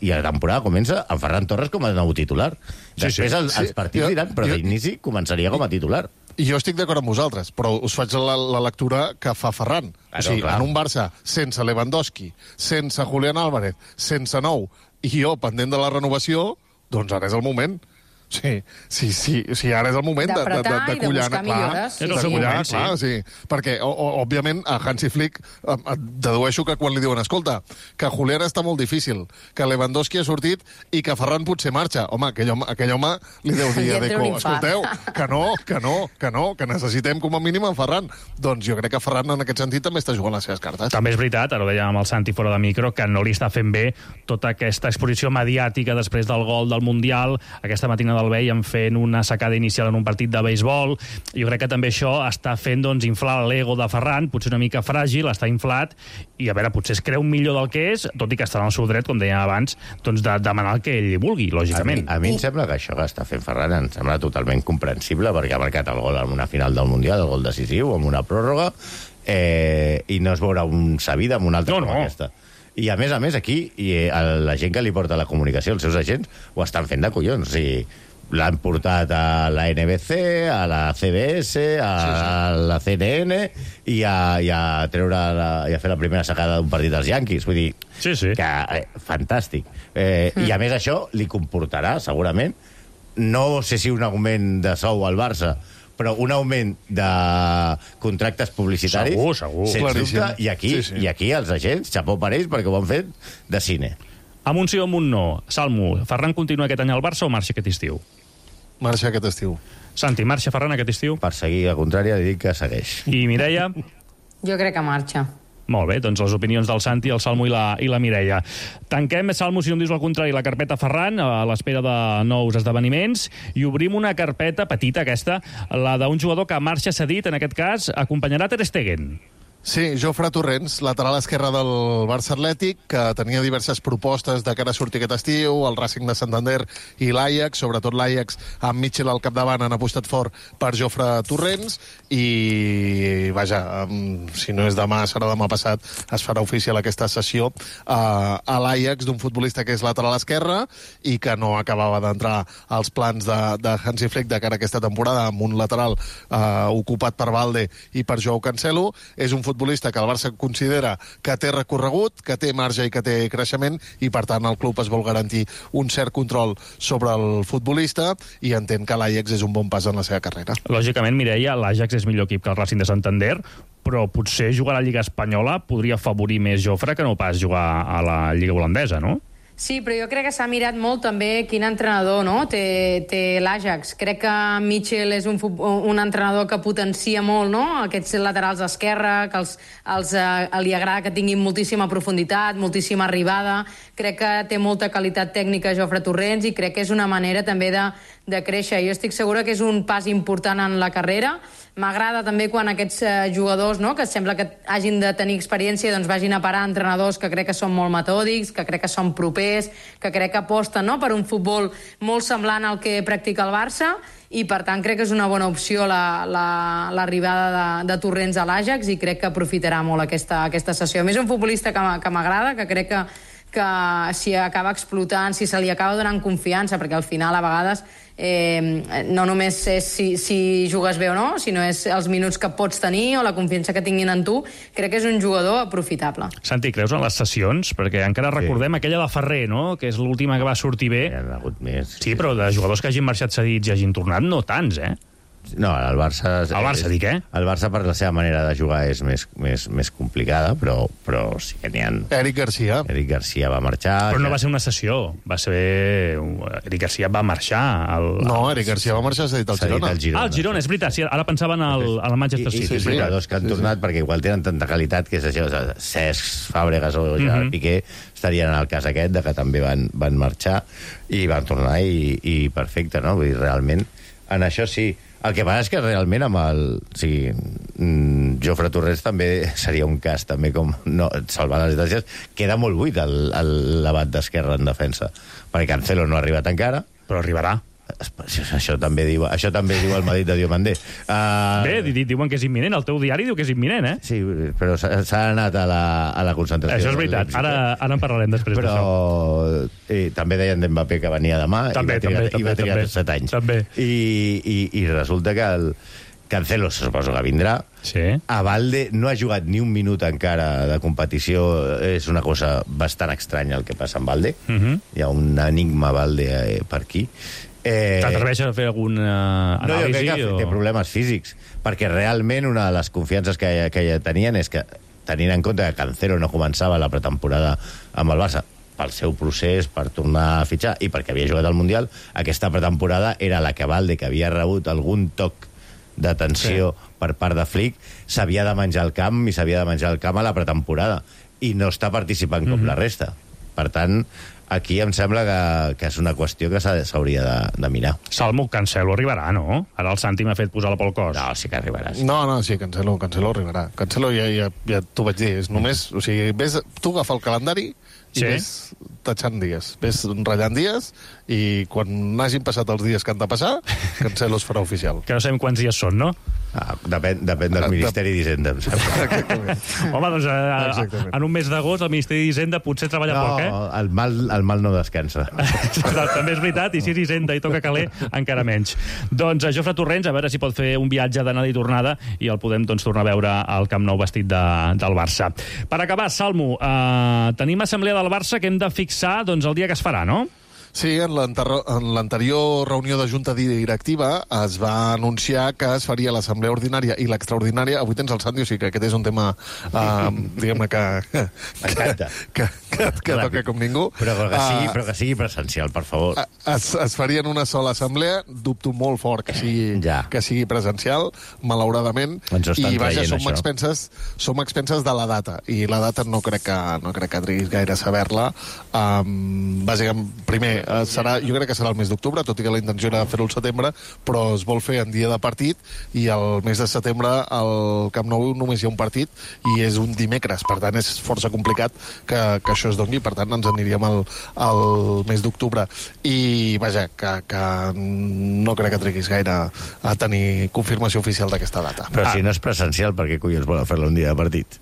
i la temporada comença amb Ferran Torres com a nou titular. Sí, Després sí. els, els partits Jo- diran, però jo- d'inici començaria com a titular. I jo estic d'acord amb vosaltres, però us faig la, la lectura que fa Ferran. Ah, o sigui, no, clar. en un Barça sense Lewandowski, sense Julián Álvarez, sense nou, i jo pendent de la renovació, doncs ara és el moment. Sí, sí, sí, sí, ara és el moment de, de, de, D'apretar de i de collar, buscar clar, millores, sí, És el de seu collar, moment, sí. clar, sí. Perquè, o, o, òbviament, a Hansi Flick eh, eh, dedueixo que quan li diuen, escolta, que Julián està molt difícil, que Lewandowski ha sortit i que Ferran potser marxa. Home, aquell home, aquell home li deu dir Li a entra un Deco, infart. escolteu, que no, que no, que no, que necessitem com a mínim en Ferran. Doncs jo crec que Ferran en aquest sentit també està jugant les seves cartes. També és veritat, ara ho dèiem amb el Santi fora de micro, que no li està fent bé tota aquesta exposició mediàtica després del gol del Mundial. Aquesta matinada el veiem fent una sacada inicial en un partit de beisbol. Jo crec que també això està fent, doncs, inflar l'ego de Ferran, potser una mica fràgil, està inflat, i a veure, potser es creu millor del que és, tot i que està en el seu dret, com dèiem abans, doncs de demanar el que ell vulgui, A mi, lògicament. a mi em sembla que això que està fent Ferran em sembla totalment comprensible, perquè ha marcat el gol en una final del Mundial, el gol decisiu, amb una pròrroga, eh, i no es veurà un Sabida amb una altra No, com no. aquesta. I a més a més aquí, i eh, la gent que li porta la comunicació, els seus agents, ho estan fent de collons. O sigui, l'han portat a la N B C, a la C B S, a sí, sí. la C N N, i a, i a treure la, i a fer la primera sacada d'un partit dels Yankees. Vull dir, Sí, sí. que eh, fantàstic. Eh, mm. I a més això li comportarà, segurament, no sé si un augment de sou al Barça, però un augment de contractes publicitaris... Segur, segur. Sens Claríssim. dubte, i aquí, Sí, sí. i aquí els agents, xapó per ells, perquè ho han fet de cine. Amb un sí o amb un no. Salmo, Ferran continua aquest any al Barça o marxa aquest estiu? Marxa aquest estiu. Santi, marxa Ferran aquest estiu? Per seguir a contrària, dic que segueix. I Mireia? Jo crec que marxa. Molt bé, doncs les opinions del Santi, el Salmo i la, i la Mireia. Tanquem, Salmo, si no em dius el contrari, la carpeta Ferran, a l'espera de nous esdeveniments, i obrim una carpeta petita, aquesta, la d'un jugador que marxa cedit, en aquest cas, acompanyarà Ter Stegen. Sí, Jofre Torrents, lateral esquerre del Barça Atlètic, que tenia diverses propostes de cara a sortir aquest estiu, el Racing de Santander i l'Ajax, sobretot l'Ajax amb Mitchell al capdavant han apostat fort per Jofre Torrents i, vaja, si no és demà, serà demà passat, es farà oficial aquesta sessió a, a l'Ajax d'un futbolista que és lateral esquerre i que no acabava d'entrar als plans de, de Hansi Flick de cara a aquesta temporada amb un lateral eh, ocupat per Valde i per Joao Cancelo. És un futbolista futbolista que el Barça considera que té recorregut, que té marge i que té creixement, i per tant el club es vol garantir un cert control sobre el futbolista i entén que l'Ajax és un bon pas en la seva carrera. Lògicament, Mireia, l'Ajax és millor equip que el Racing de Santander, però potser jugar a la Lliga Espanyola podria afavorir més Jofre que no pas jugar a la Lliga Holandesa, no? Sí, però jo crec que s'ha mirat molt també quin entrenador, no?, té, té l'Ajax. Crec que Mitchell és un, un entrenador que potencia molt, no?, aquests laterals d'esquerra, que els, els, eh, li agrada que tinguin moltíssima profunditat, moltíssima arribada. Crec que té molta qualitat tècnica Jofre Torrents i crec que és una manera també de, de créixer. Jo estic segura que és un pas important en la carrera. M'agrada també quan aquests eh, jugadors, no?, que sembla que hagin de tenir experiència, doncs vagin a parar entrenadors que crec que són molt metòdics, que crec que són propers, que crec que aposten, no?, per un futbol molt semblant al que practica el Barça, i per tant crec que és una bona opció l'arribada la, la, de, de Torrents a l'Ajax i crec que aprofitarà molt aquesta, aquesta sessió. A més, un futbolista que, que m'agrada, que crec que que si acaba explotant, si se li acaba donant confiança, perquè al final a vegades eh, no només és si, si jugues bé o no, sinó és els minuts que pots tenir o la confiança que tinguin en tu. Crec que és un jugador aprofitable. Santi, creus en les sessions? Perquè encara recordem sí. aquella de Ferrer, no?, que és l'última que va sortir bé. Hi ha hagut més. Sí, però de jugadors que hagin marxat cedits i hagin tornat, no tants, eh? No, el Barça... El Barça, dic, eh? El Barça, per la seva manera de jugar, és més, més, més complicada, però, però sí que n'hi ha... Eric Garcia. Eric Garcia va marxar... Però no va ser una sessió, va ser... Eric Garcia va marxar... Al... No, Eric Garcia va marxar cedit al Girona. Al Girona. Ah, el Girona, és veritat, sí, ara pensaven al, al Manchester City. I, i, i sí, jugadors que han sí, tornat sí. perquè igual tenen tanta qualitat que és això, Cesc, Fàbregas o Gerard mm -hmm. Piqué estarien en el cas aquest, de que també van, van marxar i van tornar i, i perfecte, no? Vull dir, realment, en això sí. El que passa és que realment amb el... O sigui, mm, Jofre Torrents també seria un cas, també com no, salvant les distàncies, queda molt buit el, el l'abat d'esquerra en defensa, perquè Cancelo no ha arribat encara. Però arribarà. Això també diu, això també diu el Madrid de Diomandé. Uh, Bé, diuen que és imminent, el teu diari diu que és imminent, eh? Sí, però s'ha anat a la, a la concentració. Això és veritat, ara, ara en parlarem després però, d'això. Eh, també deien d'Mbappé que venia demà també, i va trigar, també, i va trigar també, set anys. També. I, i, I resulta que el Cancelo se suposo que vindrà. Sí. A Valde no ha jugat ni un minut encara de competició. És una cosa bastant estranya el que passa amb Valde. Uh -huh. Hi ha un enigma Valde eh, per aquí. Eh... T'atreveixes a fer alguna anàlisi? No, jo crec que o... té problemes físics, perquè realment una de les confiances que, que ja tenien és que, tenint en compte que Cancelo no començava la pretemporada amb el Barça, pel seu procés, per tornar a fitxar, i perquè havia jugat al Mundial, aquesta pretemporada era la que Valde, que havia rebut algun toc d'atenció sí. per part de Flick, s'havia de menjar el camp, i s'havia de menjar el camp a la pretemporada, i no està participant com mm-hmm. la resta. Per tant, aquí em sembla que, que és una qüestió que s'hauria de, de mirar. Salmo, Cancelo arribarà, no? Ara el Santi m'ha fet posar-la pel cos. No, sí que arribarà. Sí. No, no, sí, Cancelo, Cancelo arribarà. Cancelo ja, ja, ja t'ho vaig dir, és només... O sigui, ves, tu agafa el calendari i sí. ves tatxant dies, ves ratllant dies, i quan hagin passat els dies que han de passar, Cancelo es farà oficial. Que no sabem quants dies són, no? Ah, depèn, depèn del Ministeri d'Hisenda, em sembla. Exactament. Home, doncs a, a, en un mes d'agost el Ministeri d'Hisenda potser treballa no, poc, eh? el mal, el mal no descansa. També és veritat, i si és Hisenda i toca caler, encara menys. Doncs a Jofre Torrents, a veure si pot fer un viatge d'anada i tornada i el podem doncs, tornar a veure al Camp Nou vestit de, del Barça. Per acabar, Salmo, eh, tenim assemblea del Barça que hem de fixar doncs, el dia que es farà, no? Sí, en l'anterior reunió de junta directiva es va anunciar que es faria l'assemblea ordinària i l'extraordinària. Avui tens el Santi, o sigui que aquest és un tema, uh, diguem-ne, que, M'encanta. que, que, que toca com ningú. Però que, sigui, però que sigui presencial, per favor. Es, es faria en una sola assemblea. Dubto molt fort que sigui, ja. que sigui presencial, malauradament. Ens ho estan I vaja, traient, som això. expenses, som expenses de la data. I la data no crec que, no crec que triguis gaire a saber-la. Um, bàsicament, primer, uh, serà, jo crec que serà el mes d'octubre, tot i que la intenció era fer-ho al setembre, però es vol fer en dia de partit, i el mes de setembre al Camp Nou només hi ha un partit, i és un dimecres. Per tant, és força complicat que, que això es doni. Per tant, ens aniríem al, al mes d'octubre. I, vaja, que, que no crec que triguis gaire a tenir confirmació oficial d'aquesta data. Però si no és presencial, per què collons volen fer-la un dia de partit?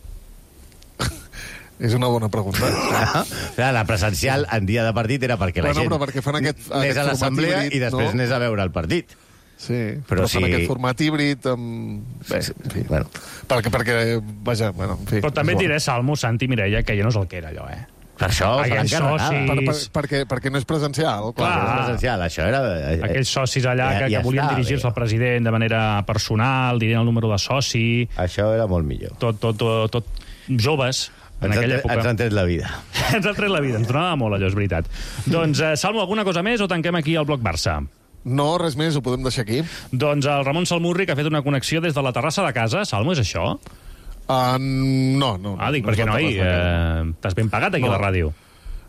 És una bona pregunta. Clar, la presencial en dia de partit era perquè la Bueno, gent però perquè fan aquest- anés aquest a l'assemblea format híbrid, i després no? anés a veure el partit. Sí, Però però, si- fan aquest format híbrid amb... Bé, en fi, Bueno. perquè, perquè, vaja, bueno, en fi... Però també és et bo. diré, Salmo, Santi, Mireia, que ja no és el que era allò, eh? Per això se Aquells l'han carregat. socis- Per, per, perquè, perquè no és presencial, clar. Clar. No és presencial, això era... Aquells socis allà Ja- que, ja que volien està dirigir-se bé. al president de manera personal, dirien el número de soci, Això era molt millor. tot, tot, tot, tot joves, en Ens, aquella han, època. ens han tret la vida. Ens ha tret la vida, ens donava molt allò, és veritat. Doncs, eh, Salmo, alguna cosa més o tanquem aquí el bloc Barça? No, res més, ho podem deixar aquí. Doncs el Ramon Salmurri, que ha fet una connexió des de la terrassa de casa. Salmo, és això? Uh, no, no. Ah, dic, no és perquè la no, hi, terrassa de casa. eh, t'has ben pagat aquí No. a la ràdio.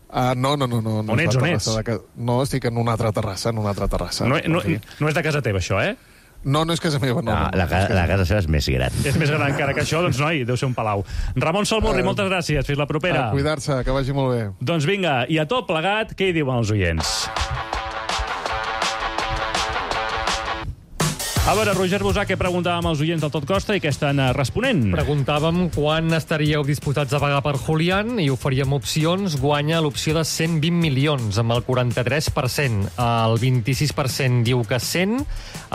Uh, no, no, no, no. no On és ets, la on terrassa ets? de ca- No, estic en una altra terrassa, en una altra terrassa. No, no, En fi. no és de casa teva, això, eh? no, no és casa meva, no. No, no, no, la, no és ca- casa la meva. casa seva és més gran. És més gran encara que això, doncs noi, deu ser un palau. Ramon Salmurri, Eh, moltes gràcies, fins la propera. A cuidar-se, que vagi molt bé. Doncs vinga, i a tot plegat, què hi diuen els oients? A veure, Roger Busà, què preguntàvem als oients del Tot Costa i què estan eh, responent? Preguntàvem quan estaríeu disposats a pagar per Julián i oferíem opcions. Guanya l'opció de cent vint milions, amb el quaranta-tres per cent. El vint-i-sis per cent diu que cent,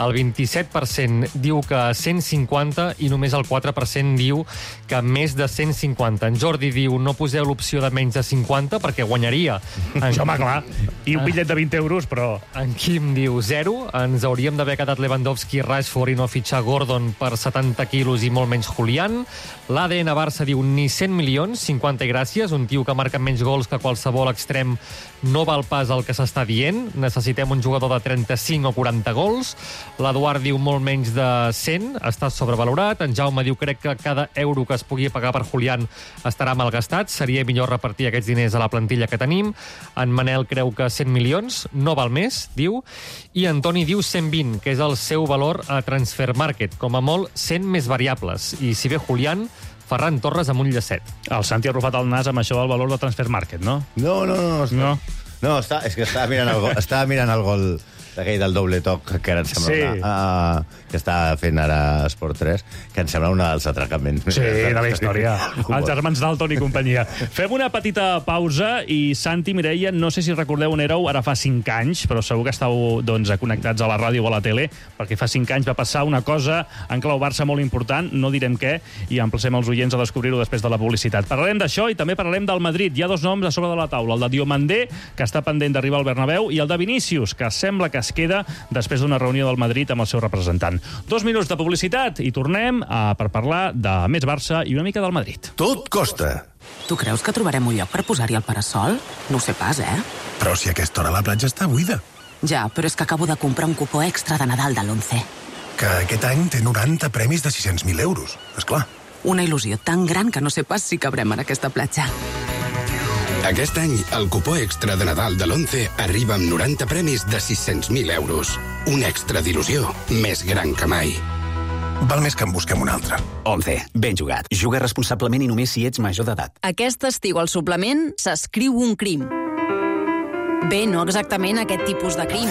el vint-i-set per cent diu que cent cinquanta i només el quatre per cent diu que més de cent cinquanta. En Jordi diu no poseu l'opció de menys de cinquanta perquè guanyaria. En, Home, clar, i un bitllet de vint euros, però... en Quim diu zero. Ens hauríem d'haver quedat Lewandowski, Rashford i no fitxar Gordon per setanta quilos i molt menys Julián. L'A D N Barça diu ni cent milions, cinquanta i gràcies. Un tio que marca menys gols que qualsevol extrem no val pas el que s'està dient. Necessitem un jugador de trenta-cinc o quaranta gols. L'Eduard diu molt menys de cent, està sobrevalorat. En Jaume diu crec que cada euro que es pugui pagar per Julián estarà malgastat. Seria millor repartir aquests diners a la plantilla que tenim. En Manel creu que cent milions, no val més, diu. I Antoni diu cent vint, que és el seu valor a Transfer Market. Com a molt, cent més variables. I si ve Julián, Ferran Torres amb un llacet. El Santi ha rufat el nas amb això del valor de Transfer Market, no? No, no, no. Està, No. no està, és que estava mirant el gol, estava mirant el gol d'aquell del doble toc, que ara em sembla Sí. una, uh, que està fent ara Esport tres, que em sembla una dels atracaments. Sí, de la història. Els germans Dalton i companyia. Fem una petita pausa i Santi, Mireia, no sé si recordeu on éreu ara fa cinc anys, però segur que estàu doncs, connectats a la ràdio o a la tele, perquè fa cinc anys va passar una cosa en clau Barça molt important, no direm què, i emplacem els oients a descobrir-ho després de la publicitat. Parlarem d'això i també parlarem del Madrid. Hi ha dos noms a sobre de la taula, el de Diomandé, que està pendent d'arribar al Bernabéu, i el de Vinícius, que sembla que es queda després d'una reunió del Madrid amb el seu representant. Dos minuts de publicitat i tornem a, per parlar de més Barça i una mica del Madrid. Tot costa. Tu creus que trobarem un lloc per posar-hi el parasol? No ho sé pas, eh? Però si a aquesta hora la platja està buida. Ja, però és que acabo de comprar un cupó extra de Nadal de l'Once. Que aquest any té noranta premis de sis-cents mil euros. Esclar. Una il·lusió tan gran que no sé pas si cabrem en aquesta platja. Aquest any, el cupó extra de Nadal de l'Once arriba amb noranta premis de sis-cents mil euros. Un extra d'il·lusió més gran que mai. Val més que en busquem un altre. Once, ben jugat. Juga responsablement i només si ets major d'edat. Aquest estiu al suplement s'escriu un crim. Bé, no exactament aquest tipus de crim.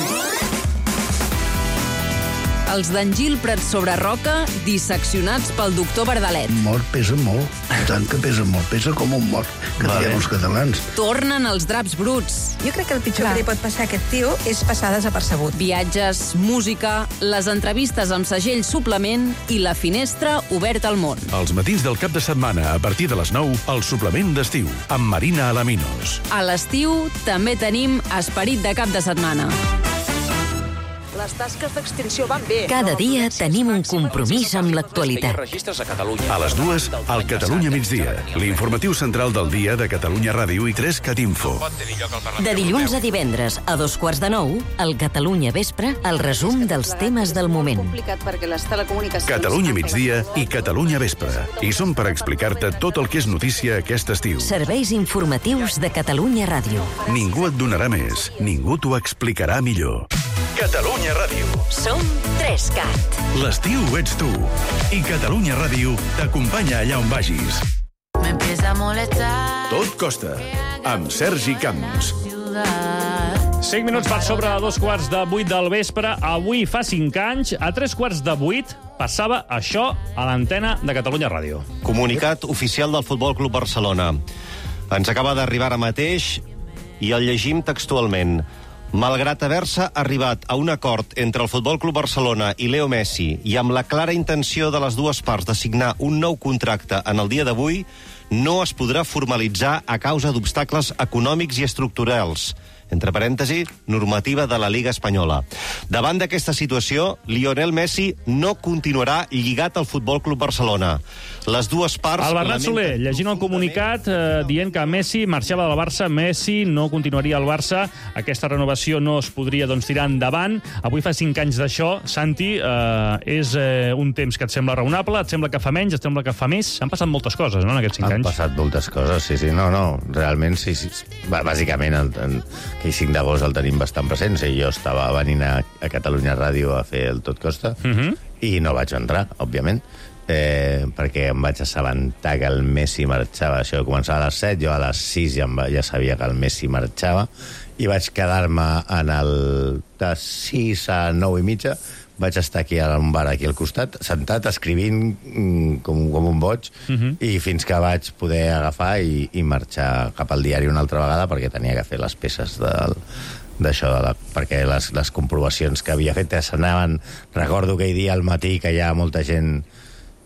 Els d'Engil Prat sobre Roca, disseccionats pel doctor Verdalet. Mort pesa molt, tant que pesa molt, pesa com un mort, que vale. Diem els catalans. Tornen els draps bruts. Jo crec que el pitjor Clar. que li pot passar a aquest tio és passar desapercebut. Viatges, música, les entrevistes amb segell suplement i la finestra oberta al món. Els matins del cap de setmana, a partir de les nou, el suplement d'estiu, amb Marina Alaminos. A l'estiu també tenim esperit de cap de setmana. Les tasques d'extinció van bé. Cada dia tenim un compromís amb l'actualitat. A les dues, al Catalunya migdia, l'informatiu central del dia de Catalunya Ràdio i tres Cat Info. De dilluns a divendres, a dos quarts de nou, al Catalunya Vespre, el resum dels temes del moment. Catalunya migdia i Catalunya Vespre. I som per explicar-te tot el que és notícia aquest estiu. Serveis informatius de Catalunya Ràdio. Ningú et donarà més, ningú t'ho explicarà millor. Catalunya Ràdio. Som tres Cat. L'estiu ets tu. I Catalunya Ràdio t'acompanya allà on vagis. Tot costa, amb Sergi Camps. cinc minuts per sobre dos quarts de vuit del vespre. Avui fa cinc anys, a tres quarts de vuit, passava això a l'antena de Catalunya Ràdio. Comunicat oficial del Futbol Club Barcelona. Ens acaba d'arribar ara mateix i el llegim textualment. Malgrat haver-se arribat a un acord entre el Futbol Club Barcelona i Leo Messi i amb la clara intenció de les dues parts de signar un nou contracte en el dia d'avui, no es podrà formalitzar a causa d'obstacles econòmics i estructurals. Entre parèntesi, normativa de la Liga Espanyola. Davant d'aquesta situació, Lionel Messi no continuarà lligat al Futbol Club Barcelona. Les dues parts... El Bernat Soler, llegint el comunicat, eh, dient que Messi marxava del Barça, Messi no continuaria al Barça, aquesta renovació no es podria doncs, tirar endavant. Avui fa cinc anys d'això. Santi, eh, és eh, un temps que et sembla raonable, et sembla que fa menys, et sembla que fa més? Han passat moltes coses, no?, en aquests cinc Han anys. Han passat moltes coses, sí, sí. No, no, realment, sí, sí. Bàsicament, el, el, aquell cinc d'agost el tenim bastant present. Sí, jo estava venint a, a Catalunya Ràdio a fer el Tot Costa uh -huh. i no vaig entrar, òbviament, eh, perquè em vaig assabentar que el Messi marxava. Això començava a les set, jo a les sis ja, ja sabia que el Messi marxava i vaig quedar-me en el de sis a nou i mitja. Vaig estar aquí a un bar aquí al costat, sentat, escrivint com, com un boig, uh-huh. i fins que vaig poder agafar i, i marxar cap al diari una altra vegada perquè tenia que fer les peces del, d'això, de la, perquè les, les comprovacions que havia fet s'anaven... Recordo aquell dia al matí que ja molta gent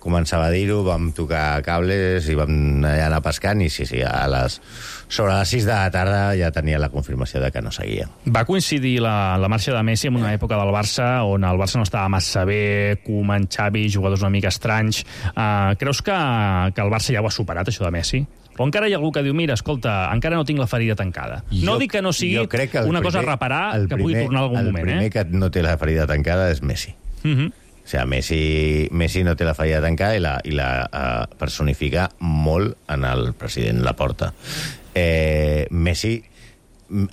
començava a dir-ho, vam tocar cables i vam allà anar pescant i sí, sí, a les, sobre les sis de la tarda ja tenia la confirmació de que no seguia. Va coincidir la, la marxa de Messi en una època del Barça on el Barça no estava massa bé, Koeman, Xavi, jugadors una mica estranys. Uh, creus que, que el Barça ja ho ha superat, això de Messi? O encara hi ha algú que diu, mira, escolta, encara no tinc la ferida tancada. Jo, no dic que no sigui que una primer, cosa a reparar que primer, pugui tornar algun el moment. El primer eh? que no té la ferida tancada és Messi. Uh-huh. O sigui, Messi, Messi no té la ferida tancada i la, i la uh, personifica molt en el president Laporta. Eh, Messi,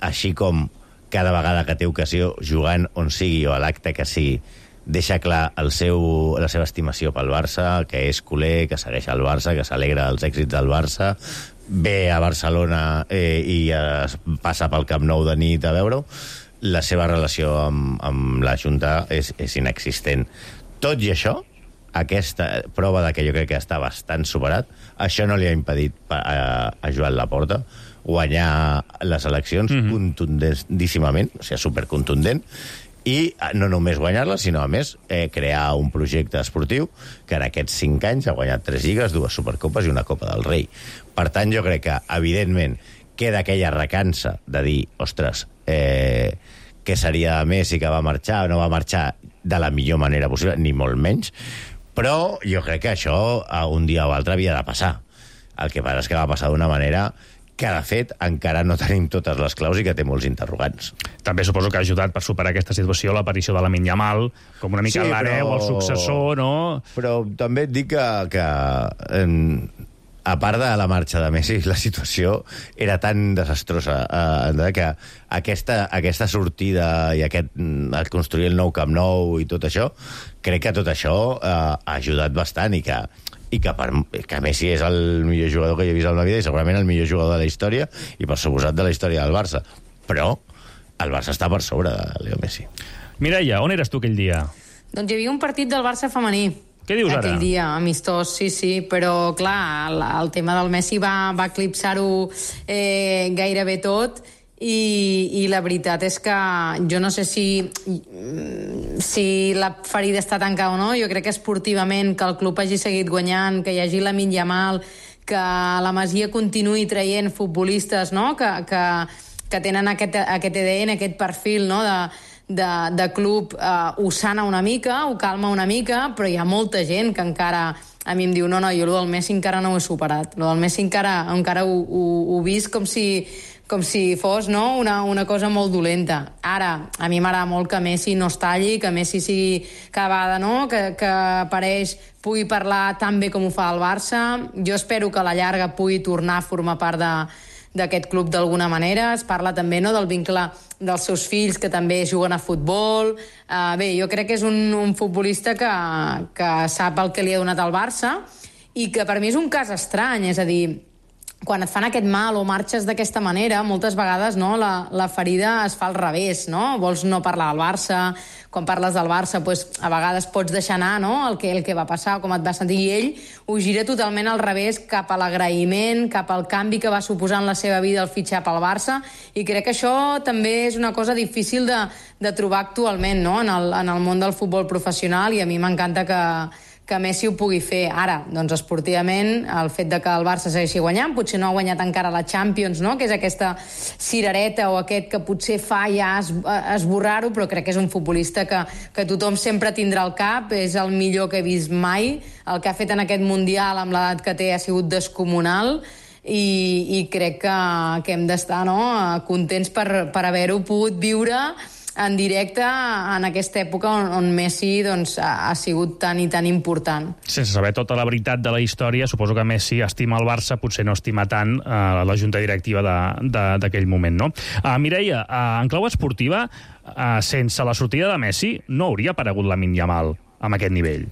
així com cada vegada que té ocasió, jugant on sigui o a l'acte que sigui, deixa clar el seu, la seva estimació pel Barça, que és culer, que segueix el Barça, que s'alegra dels èxits del Barça, ve a Barcelona eh, i es passa pel Camp Nou de nit a veure-ho. La seva relació amb, amb la Junta és, és inexistent. Tot i això, aquesta prova de que jo crec que està bastant superat, això no li ha impedit a, a Joan Laporta guanyar les eleccions mm-hmm. contundíssimament, o sigui, supercontundent, i no només guanyar-la, sinó a més eh, crear un projecte esportiu que en aquests cinc anys ha guanyat tres lligues, dues supercopes i una Copa del Rei. Per tant, jo crec que, evidentment, queda aquella recança de dir, ostres, eh, què seria de Messi que va marxar o no va marxar de la millor manera possible, ni molt menys, però jo crec que això un dia o altre havia de passar. El que passa és que va passar d'una manera que, de fet, encara no tenim totes les claus i que té molts interrogants. També suposo que ha ajudat per superar aquesta situació l'aparició de Lamine Yamal, com una mica sí, l'hereu, però... el successor, no? Però també et dic que, que eh, a part de la marxa de Messi, la situació era tan desastrosa eh, que aquesta, aquesta sortida i aquest, el construir el nou Camp Nou i tot això, crec que tot això eh, ha ajudat bastant i que i que, per, que Messi és el millor jugador que jo he vist en la vida i segurament el millor jugador de la història i per suposat de la història del Barça. Però el Barça està per sobre de Leo Messi. Mireia, on eres tu aquell dia? Doncs hi havia un partit del Barça femení. Què dius ara? Aquell dia, amistós, sí, sí, però clar, el, el tema del Messi va, va eclipsar-ho eh, gairebé tot i, i la veritat és que jo no sé si, si la ferida està tancada o no, jo crec que esportivament que el club hagi seguit guanyant, que hi hagi Lamine Yamal, que la Masia continuï traient futbolistes, no?, que, que, que tenen aquest, aquest A D N, aquest perfil, no?, de De, de club, eh, ho sana una mica, ho calma una mica, però hi ha molta gent que encara a mi em diu, no, no, jo el del Messi encara no ho he superat, el del Messi encara, encara ho, ho, ho vist com si, com si fos, no?, una, una cosa molt dolenta. Ara, a mi m'agrada molt que Messi no es talli, que Messi sigui cada vegada, no?, que, que apareix, pugui parlar tan bé com ho fa el Barça. Jo espero que a la llarga pugui tornar a formar part de d'aquest club d'alguna manera. Es parla també, no?, del vincle dels seus fills que també juguen a futbol. Uh, bé, jo crec que és un, un futbolista que, que sap el que li ha donat al Barça i que per mi és un cas estrany, és a dir, quan et fan aquest mal o marxes d'aquesta manera, moltes vegades, no, la, la ferida es fa al revés, no? Vols no parlar del Barça, quan parles del Barça, pues, a vegades pots deixar anar, no?, el que, el que va passar, com et va sentir, i ell ho gira totalment al revés, cap a l'agraïment, cap al canvi que va suposar en la seva vida el fitxar pel Barça, i crec que això també és una cosa difícil de, de trobar actualment, no?, en el, en el món del futbol professional, i a mi m'encanta que que Messi ho pugui fer. Ara, doncs esportivament, el fet de que el Barça segueixi guanyant, potser no ha guanyat encara la Champions, no?, que és aquesta cirereta o aquest que potser fa ja es, esborrar-ho, però crec que és un futbolista que, que tothom sempre tindrà al cap, és el millor que he vist mai, el que ha fet en aquest Mundial amb l'edat que té ha sigut descomunal, i, i crec que, que hem d'estar, no?, contents per, per haver-ho pogut viure en directe en aquesta època on, on Messi doncs, ha, ha sigut tan i tan important. Sense saber tota la veritat de la història, suposo que Messi estima el Barça, potser no estima tant uh, la junta directiva d'aquell moment, no? Uh, Mireia, uh, en clau esportiva, uh, sense la sortida de Messi, no hauria aparegut Lamine Yamal amb aquest nivell?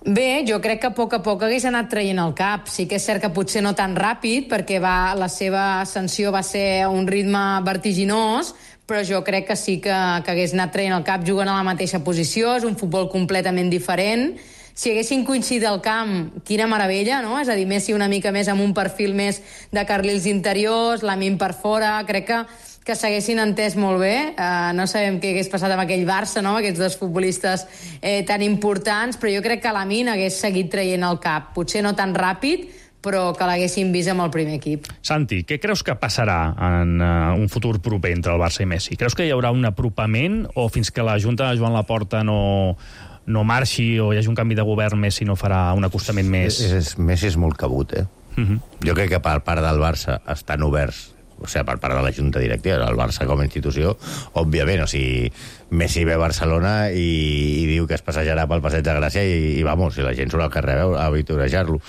Bé, jo crec que a poc a poc hagués anat traient el cap. Sí que és cert que potser no tan ràpid, perquè va, la seva ascensió va ser a un ritme vertiginós, però jo crec que sí que, que hagués anat traient el cap jugant a la mateixa posició, és un futbol completament diferent. Si haguessin coincidit al camp, quina meravella, no? És a dir, Messi una mica més amb un perfil més de carrils interiors, Lamine per fora, crec que que s'haguessin entès molt bé. Uh, no sabem què hagués passat amb aquell Barça, no?, aquests dos futbolistes eh, tan importants, però jo crec que Lamine hagués seguit traient el cap. Potser no tan ràpid, però que l'haguessin vist amb el primer equip. Santi, què creus que passarà en uh, un futur proper entre el Barça i Messi? Creus que hi haurà un apropament o fins que la Junta de Joan Laporta no, no marxi o hi hagi un canvi de govern, Messi no farà un acostament més? És, és, Messi és molt cabut, eh? Uh-huh. Jo crec que per part del Barça estan oberts, o sigui, per part de la Junta Directiva, el Barça com a institució, òbviament, o sigui, Messi ve a Barcelona i, i diu que es passejarà pel Passeig de Gràcia i, i vamos, i la gent surt al carrer a vitorejar-lo.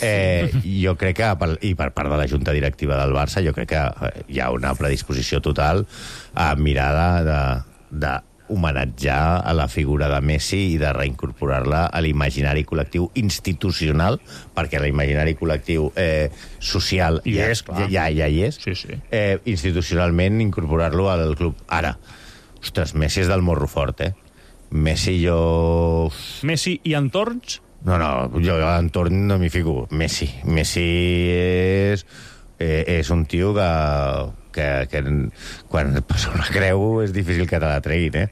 Eh, jo crec que, per, i per part de la Junta Directiva del Barça, jo crec que hi ha una predisposició total a mirar de, de homenatjar a la figura de Messi i de reincorporar-la a l'imaginari col·lectiu institucional, perquè l'imaginari col·lectiu eh, social I ja, és, clar. ja, ja hi és. Sí, sí. Eh, institucionalment incorporar-lo al club. Ara, ostres, Messi és del morro fort, eh? Messi jo... Messi i entorns? No, no, jo a l'entorn no m'hi fico. Messi. Messi és, eh, és un tio que, que, que quan et passa una creu és difícil que te la treguin, eh?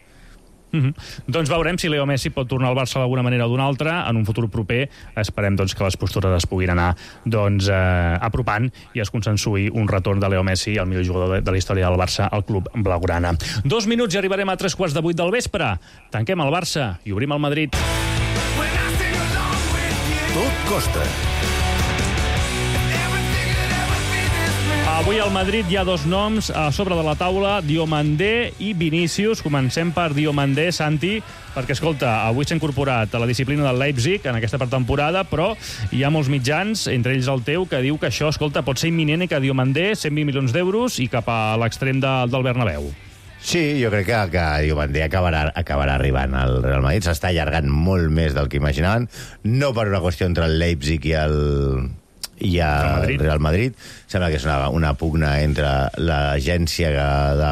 Mm-hmm. Doncs veurem si Leo Messi pot tornar al Barça d'alguna manera o d'una altra en un futur proper. Esperem doncs, que les postures es puguin anar doncs, eh, apropant i es consensui un retorn de Leo Messi, el millor jugador de, de la història del Barça, al club blaugrana. Dos minuts i arribarem a tres quarts de vuit del vespre. Tanquem el Barça i obrim el Madrid. Tot costa. Avui al Madrid hi ha dos noms a sobre de la taula, Diomandé i Vinícius. Comencem per Diomandé, Santi, perquè, escolta, avui s'ha incorporat a la disciplina del Leipzig en aquesta pretemporada, però hi ha molts mitjans, entre ells el teu, que diu que això, escolta, pot ser imminent i que Diomandé, cent vint milions d'euros i cap a l'extrem de, del Bernabéu. Sí, jo crec que, que Diomandé acabarà, acabarà arribant al Real Madrid. S'està allargant molt més del que imaginaven, no per una qüestió entre el Leipzig i el... i el Real, Real Madrid. Sembla que és una, una pugna entre l'agència de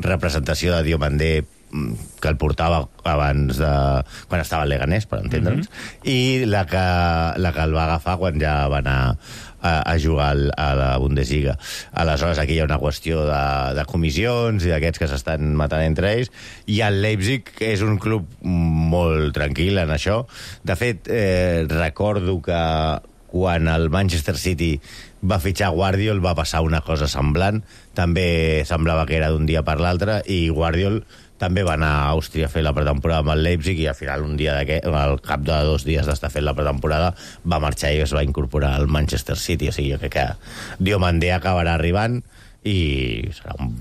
representació de Diomandé que el portava abans de... quan estava al Leganés, per entendre'ns, mm-hmm. i la que, la que el va agafar quan ja va anar a, a jugar al, a la Bundesliga. Aleshores, aquí hi ha una qüestió de, de comissions i d'aquests que s'estan matant entre ells, i el Leipzig és un club molt tranquil en això. De fet, eh, recordo que quan el Manchester City va fitxar Guardiol va passar una cosa semblant. També semblava que era d'un dia per l'altre, i Guardiol també va anar a Àustria a fer la pretemporada amb el Leipzig, i al final, un dia al cap de dos dies d'estar fent la pretemporada, va marxar i es va incorporar al Manchester City. O sigui, jo crec que Diomandé acabarà arribant i serà un,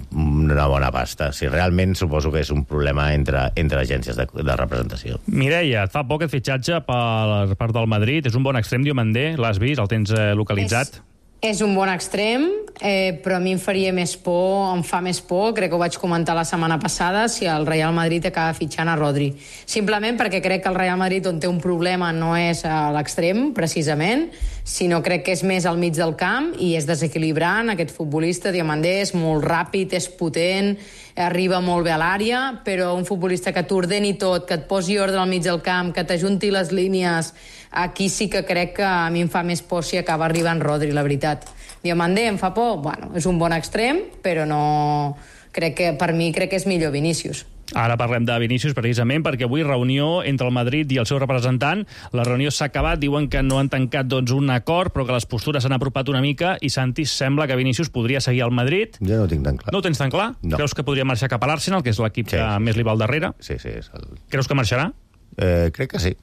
una bona pasta. Si realment suposo que és un problema entre, entre agències de, de representació. Mireia, et fa poc aquest fitxatge per part del Madrid. És un bon extrem, Diomandé? L'has vist? El tens eh, localitzat? És... És un bon extrem, eh, però a mi em faria més por, em fa més por, crec que ho vaig comentar la setmana passada, si el Real Madrid acaba fitxant a Rodri. Simplement perquè crec que el Real Madrid, on té un problema, no és a l'extrem, precisament, sinó crec que és més al mig del camp i és desequilibrant. Aquest futbolista, Diomandé, és molt ràpid, és potent, arriba molt bé a l'àrea, però un futbolista que t'ordeni tot, que et posi ordre al mig del camp, que t'ajunti les línies, aquí sí que crec que a mi em fa més por si acaba arribant Rodri, la veritat. Diomandé em fa por? Bueno, és un bon extrem, però no... Crec que, per mi, crec que és millor Vinícius. Ara parlem de Vinícius, precisament, perquè avui reunió entre el Madrid i el seu representant. La reunió s'ha acabat, diuen que no han tancat doncs, un acord, però que les postures s'han apropat una mica, i Santi, sembla que Vinícius podria seguir al Madrid. Jo no ho tinc tan clar. No ho tens tan clar? No. Creus que podria marxar cap a l'Arsenal, que és l'equip sí, que sí. més li va al darrere? Sí, sí. És el... Creus que marxarà? Eh, crec que sí.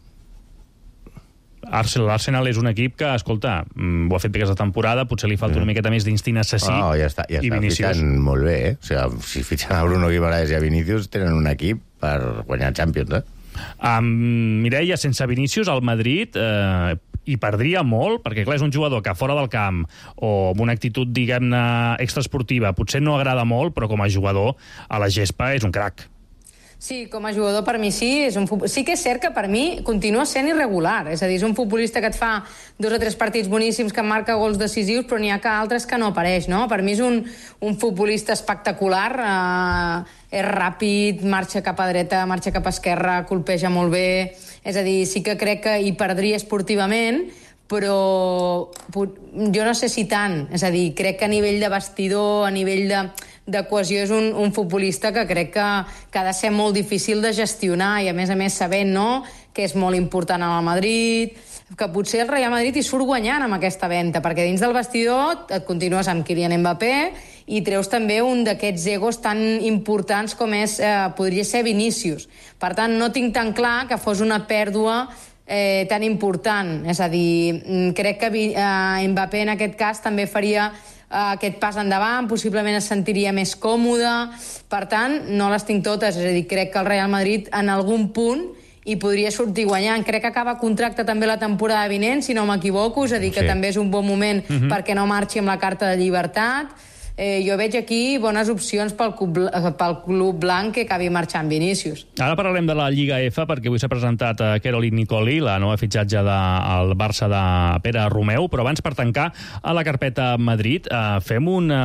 L'Arsenal és un equip que, escolta, ho ha fet bé aquesta temporada, potser li falta mm. una miqueta més d'instint assassí. Oh, ja està, ja està fitxant molt bé, eh? O sigui, si fitxen a Bruno Guimaraes i a Vinícius, tenen un equip per guanyar Champions, eh? Um, Mireia, sense Vinícius, el Madrid eh, hi perdria molt, perquè clar, és un jugador que fora del camp o amb una actitud, diguem-ne, extraesportiva, potser no agrada molt, però com a jugador a la gespa és un crac. Sí, com a jugador per mi sí. És un futbol... Sí que és cert que per mi continua sent irregular. És a dir, és un futbolista que et fa dos o tres partits boníssims, que marca gols decisius, però n'hi ha que altres que no apareix, no? Per mi és un, un futbolista espectacular, eh, és ràpid, marxa cap a dreta, marxa cap a esquerra, colpeja molt bé. És a dir, sí que crec que hi perdria esportivament, però jo no sé si tant. És a dir, crec que a nivell de vestidor, a nivell de... de cohesió és un, un futbolista que crec que, que ha de ser molt difícil de gestionar, i a més a més sabent, no?, que és molt important al Madrid, que potser el Real Madrid hi surt guanyant amb aquesta venda, perquè dins del vestidor et continues amb Kylian Mbappé i treus també un d'aquests egos tan importants com és, eh, podria ser Vinícius. Per tant, no tinc tan clar que fos una pèrdua eh, tan important. És a dir, crec que eh, Mbappé en aquest cas també faria aquest pas endavant, possiblement es sentiria més còmode. Per tant, no les tinc totes. És a dir, crec que el Real Madrid en algun punt hi podria sortir guanyant. Crec que acaba contracte també la temporada vinent, si no m'equivoco, és a dir, que sí. També és un bon moment mm-hmm. perquè no marxi amb la carta de llibertat. Eh, jo veig aquí bones opcions pel club, pel club blanc que acabi marxant Vinícius. Ara parlarem de la Lliga F, perquè avui s'ha presentat a Caroline Nicoli, la nova fitxatge del Barça de Pere Romeu, però abans, per tancar a la carpeta Madrid, eh, fem una,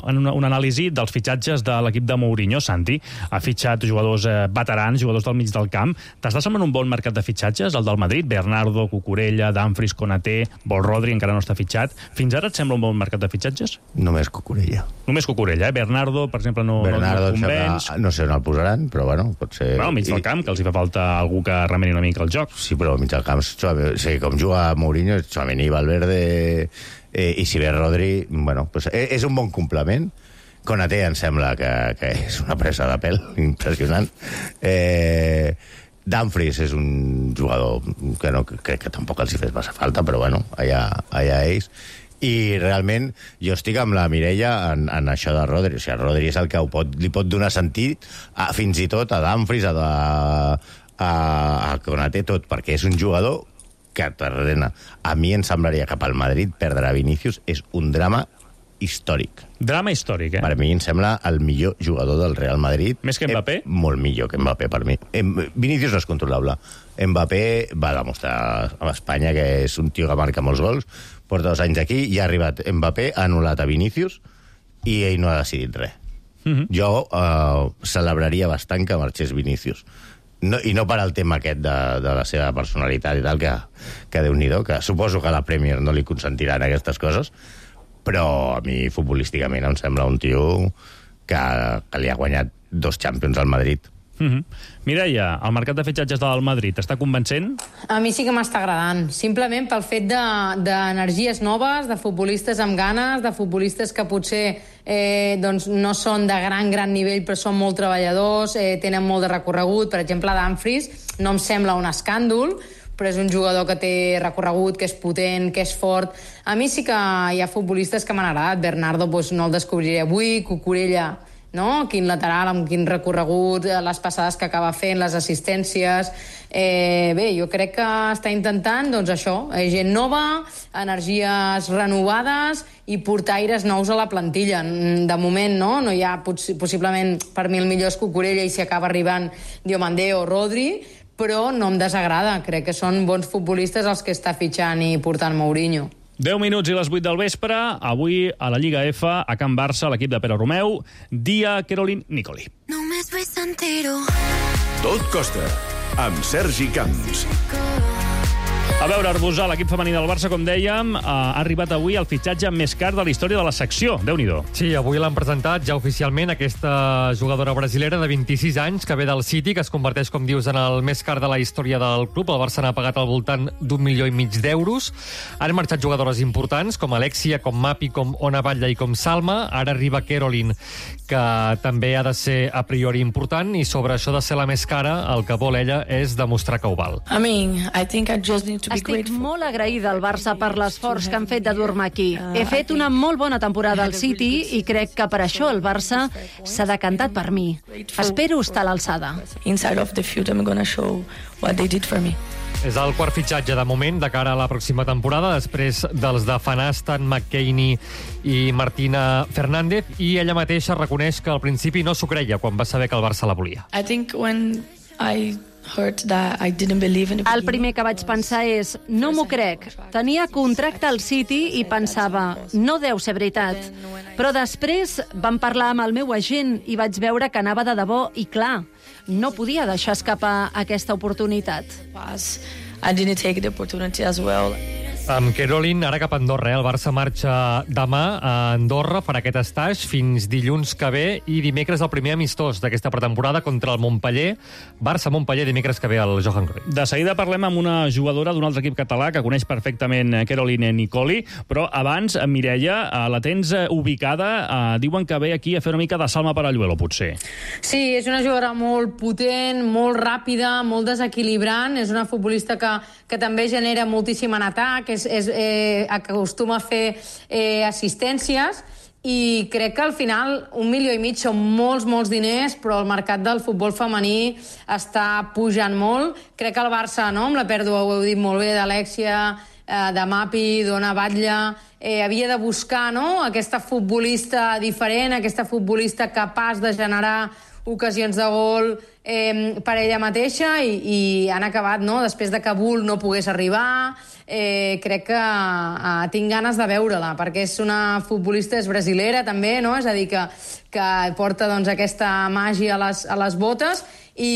una, un anàlisi dels fitxatges de l'equip de Mourinho. Santi ha fitxat jugadors eh, veterans, jugadors del mig del camp. T'està semblant un bon mercat de fitxatges, el del Madrid? Bernardo, Cucurella, Dumfries, Konaté, Vol Rodri, encara no està fitxat. Fins ara et sembla un bon mercat de fitxatges? Només Cucurella. Només Cucurella, eh? Bernardo, per exemple, no, Bernardo, no convenç. Sembla, no sé on el posaran, però bueno, pot ser... Bueno, al mig del camp, que els hi fa falta algú que remeni una mica el joc. Sí, però al mig del camp, sí, com juga Mourinho, Tchouaméni, Valverde eh, i si ve Rodri, bueno, pues, eh, és un bon complement. Konaté em sembla que, que és una presa de pèl impressionant. Eh, Dumfries és un jugador que no crec que tampoc els hi fes massa falta, però bueno, allà, allà ells. I realment jo estic amb la Mireia en, en això de Rodri. O sigui, Rodri és el que pot, li pot donar sentit a, fins i tot a Dumfries, a, a, a Konaté, tot, perquè és un jugador que t'ordena. A mi em semblaria que pel Madrid perdre a Vinícius és un drama històric. Drama històric, eh? Per mi em sembla el millor jugador del Real Madrid. Més que Mbappé? Eh, molt millor que Mbappé, per mi. Vinícius no és controlable. Mbappé va demostrar a Espanya que és un tio que marca molts gols, porta dos anys aquí, i ha arribat Mbappé, ha anul·lat a Vinícius, i ell no ha decidit res. Mm-hmm. Jo uh, celebraria bastant que marxés Vinícius. No, I no per al tema aquest de, de la seva personalitat i tal, que, que Déu-n'hi-do, que suposo que la Premier no li consentiran aquestes coses, però a mi futbolísticament em sembla un tio que, que li ha guanyat dos Champions al Madrid. Mm-hmm. Mireia, el mercat de fitxatges del Madrid està convencent? A mi sí que m'està agradant, simplement pel fet d'energies de, noves, de futbolistes amb ganes, de futbolistes que potser eh, doncs no són de gran, gran nivell, però són molt treballadors, eh, tenen molt de recorregut. Per exemple, Dumfries no em sembla un escàndol, però és un jugador que té recorregut, que és potent, que és fort. A mi sí que hi ha futbolistes que m'han agradat. Bernardo doncs, no el descobriré avui, Cucurella, no? Quin lateral, amb quin recorregut, les passades que acaba fent, les assistències. Eh, bé, jo crec que està intentant, doncs això, eh, gent nova, energies renovades i portaires nous a la plantilla. De moment, no? No hi ha, poss possiblement, per mi el millor és Cucurella i si acaba arribant Diomandé o Rodri, però no em desagrada. Crec que són bons futbolistes els que està fitxant i portant Mourinho. deu minuts i les vuit del vespre. Avui a la Lliga F, a Can Barça, l'equip de Pere Romeu, dia Caroline Nicoli. Tot costa, amb Sergi Camps. A veure, Arbusà, l'equip femení del Barça, com dèiem, ha arribat avui el fitxatge més car de la història de la secció. Déu-n'hi-do. Sí, avui l'han presentat ja oficialment aquesta jugadora brasilera de vint-i-sis anys que ve del City, que es converteix, com dius, en el més car de la història del club. El Barça n'ha pagat al voltant d'un milió i mig d'euros. Han marxat jugadores importants, com Alexia, com Mapi, com Ona Batlle i com Salma. Ara arriba Caroline, que també ha de ser a priori important, i sobre això de ser la més cara, el que vol ella és demostrar que ho val. I mean, I think I just need to Estic molt agraïda al Barça per l'esforç que han fet de dur-me aquí. He fet una molt bona temporada al City i crec que per això el Barça s'ha decantat per mi. Espero estar a l'alçada. Inside of the field I'm gonna show what they did for me. És el quart fitxatge de moment de cara a la pròxima temporada, després dels de Fanastan, McKeany i Martina Fernández, i ella mateixa reconeix que al principi no s'ho creia quan va saber que el Barça la volia. I think when I El primer que vaig pensar és, no m'ho crec. Tenia contracte al City i pensava, no deu ser veritat. Però després vam parlar amb el meu agent i vaig veure que anava de debò i, clar, no podia deixar escapar aquesta oportunitat. I didn't take the opportunity as well. Amb Caroline, ara cap a Andorra. Eh? El Barça marxa demà a Andorra, farà aquest estatge fins dilluns que ve, i dimecres el primer amistós d'aquesta pretemporada contra el Montpeller. Barça-Montpeller, dimecres que ve al Johan Cruyff. De seguida parlem amb una jugadora d'un altre equip català que coneix perfectament Caroline Nicoli, però abans, Mireia, la tens ubicada, eh, diuen que ve aquí a fer una mica de Salma Paralluelo, potser. Sí, és una jugadora molt potent, molt ràpida, molt desequilibrant, és una futbolista que, que també genera moltíssim en atac, és, és, eh, acostuma a fer eh, assistències, i crec que al final un milió i mig són molts, molts diners, però el mercat del futbol femení està pujant molt. Crec que el Barça, no, amb la pèrdua, ho heu dit molt bé, d'Alexia, eh, de Mapi, d'Ona Batlle, eh, havia de buscar, no?, aquesta futbolista diferent, aquesta futbolista capaç de generar ocasions de gol eh, per ella mateixa, i, i han acabat, no?, després de que Bull no pogués arribar. Eh, crec que eh, tinc ganes de veure-la, perquè és una futbolista, és brasilera també, no?, és a dir, que, que porta doncs, aquesta màgia a les, a les botes, i,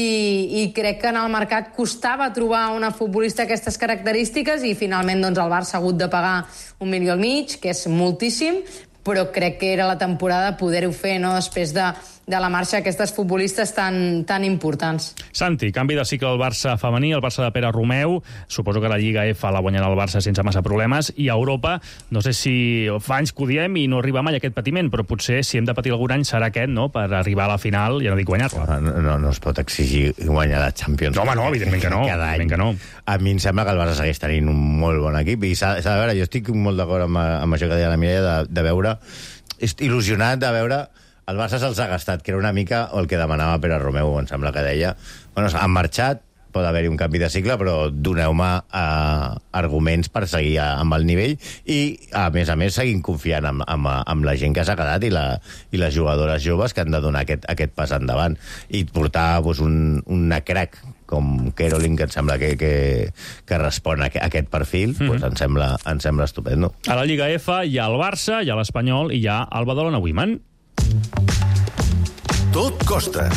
i crec que en el mercat costava trobar una futbolista d'aquestes característiques, i finalment doncs, el Barça ha hagut de pagar un milió i mig, que és moltíssim, però crec que era la temporada poder-ho fer, no?, després de, de la marxa d'aquestes futbolistes tan, tan importants. Santi, canvi de cicle al Barça femení, el Barça de Pere Romeu. Suposo que la Lliga F la guanyarà el Barça sense massa problemes, i a Europa, no sé si fa anys que ho diem i no arriba mai aquest patiment, però potser si hem de patir algun any serà aquest, no?, per arribar a la final, ja no dic guanyar-la. No, no, no es pot exigir guanyar la Champions. No, home, no, evidentment que no. Cada any. Que no. A mi em sembla que el Barça segueix tenint un molt bon equip, i s'ha de veure, jo estic molt d'acord amb, amb això que deia la Mireia, de, de veure, il·lusionat de veure. El Barça se'ls ha gastat, que era una mica el que demanava Pere Romeu, em sembla que deia. Bueno, han marxat, pot haver-hi un canvi de cicle, però doneu-me eh, arguments per seguir amb el nivell, i, a més a més, seguint confiant amb, amb, amb la gent que s'ha quedat i, la, i les jugadores joves que han de donar aquest, aquest pas endavant. I portar doncs, un, una crack com Caroline, que em sembla que, que, que respon a aquest perfil, mm-hmm. doncs em sembla, em sembla estupendo. A la Lliga F hi ha el Barça, hi ha l'Espanyol i hi ha el Badalona Women. Tot costa.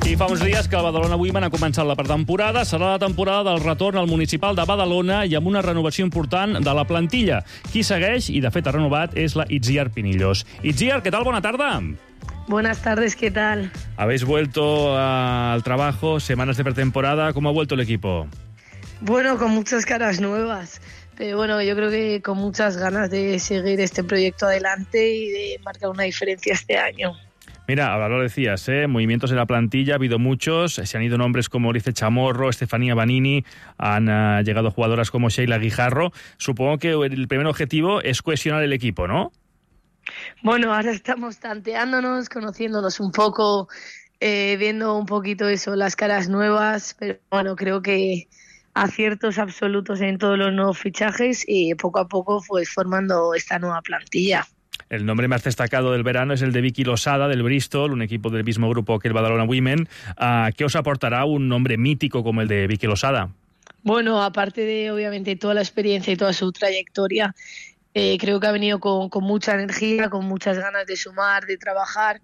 I fa uns dies que el Badalona Women ha començat la pretemporada. Serà la temporada del retorn al municipal de Badalona i amb una renovació important de la plantilla. Qui segueix, i de fet ha renovat, és la Itziar Pinillos. Itziar, ¿qué tal? Buena tarde. Buenas tardes, ¿qué tal? Habéis vuelto al trabajo, semanas de pretemporada. ¿Cómo ha vuelto el equipo? Bueno, con muchas caras nuevas. Pero bueno, yo creo que con muchas ganas de seguir este proyecto adelante y de marcar una diferencia este año. Mira, ahora lo decías, ¿eh? Movimientos en la plantilla, ha habido muchos, se han ido nombres como Lice Chamorro, Estefanía Banini, han uh, llegado jugadoras como Sheila Guijarro. Supongo que el primer objetivo es cohesionar el equipo, ¿no? Bueno, ahora estamos tanteándonos, conociéndonos un poco, eh, viendo un poquito eso, las caras nuevas, pero bueno, creo que aciertos absolutos en todos los nuevos fichajes y poco a poco pues formando esta nueva plantilla. El nombre más destacado del verano es el de Vicky Losada, del Bristol, un equipo del mismo grupo que el Badalona Women. Uh, ¿Qué os aportará un nombre mítico como el de Vicky Losada? Bueno, aparte de obviamente toda la experiencia y toda su trayectoria, eh, creo que ha venido con, con mucha energía, con muchas ganas de sumar, de trabajar,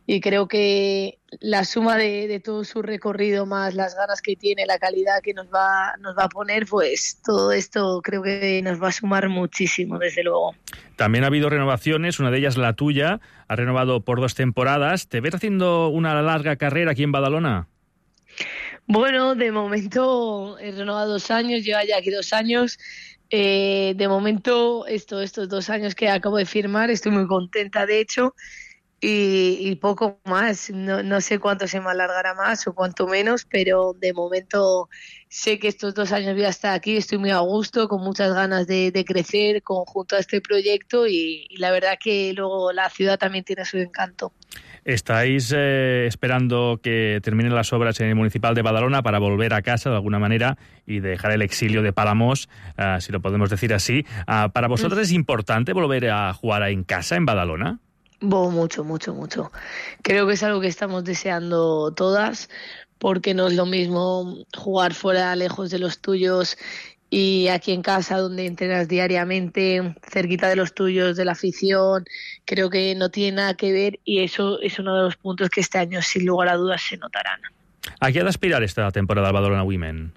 y creo que la suma de, de todo su recorrido más las ganas que tiene, la calidad que nos va, nos va a poner, pues todo esto creo que nos va a sumar muchísimo, desde luego. También ha habido renovaciones, una de ellas la tuya, ha renovado por dos temporadas. ¿Te ves haciendo una larga carrera aquí en Badalona? Bueno, de momento he renovado dos años, lleva ya aquí dos años. Eh, de momento, esto, estos dos años que acabo de firmar, estoy muy contenta, de hecho, y, y poco más. No, no sé cuánto se me alargará más o cuánto menos, pero de momento sé que estos dos años voy a estar aquí, estoy muy a gusto, con muchas ganas de, de crecer conjunto a este proyecto y, y la verdad que luego la ciudad también tiene su encanto. ¿Estáis eh, esperando que terminen las obras en el Municipal de Badalona para volver a casa de alguna manera y dejar el exilio de Palamós, uh, si lo podemos decir así? Uh, ¿Para vosotros es importante volver a jugar en casa, en Badalona? Bo, mucho, mucho, mucho. Creo que es algo que estamos deseando todas, porque no es lo mismo jugar fuera, lejos de los tuyos, y aquí en casa, donde entrenas diariamente, cerquita de los tuyos, de la afición. Creo que no tiene nada que ver y eso es uno de los puntos que este año, sin lugar a dudas, se notarán. ¿A qué ha de aspirar esta temporada al Badalona Women?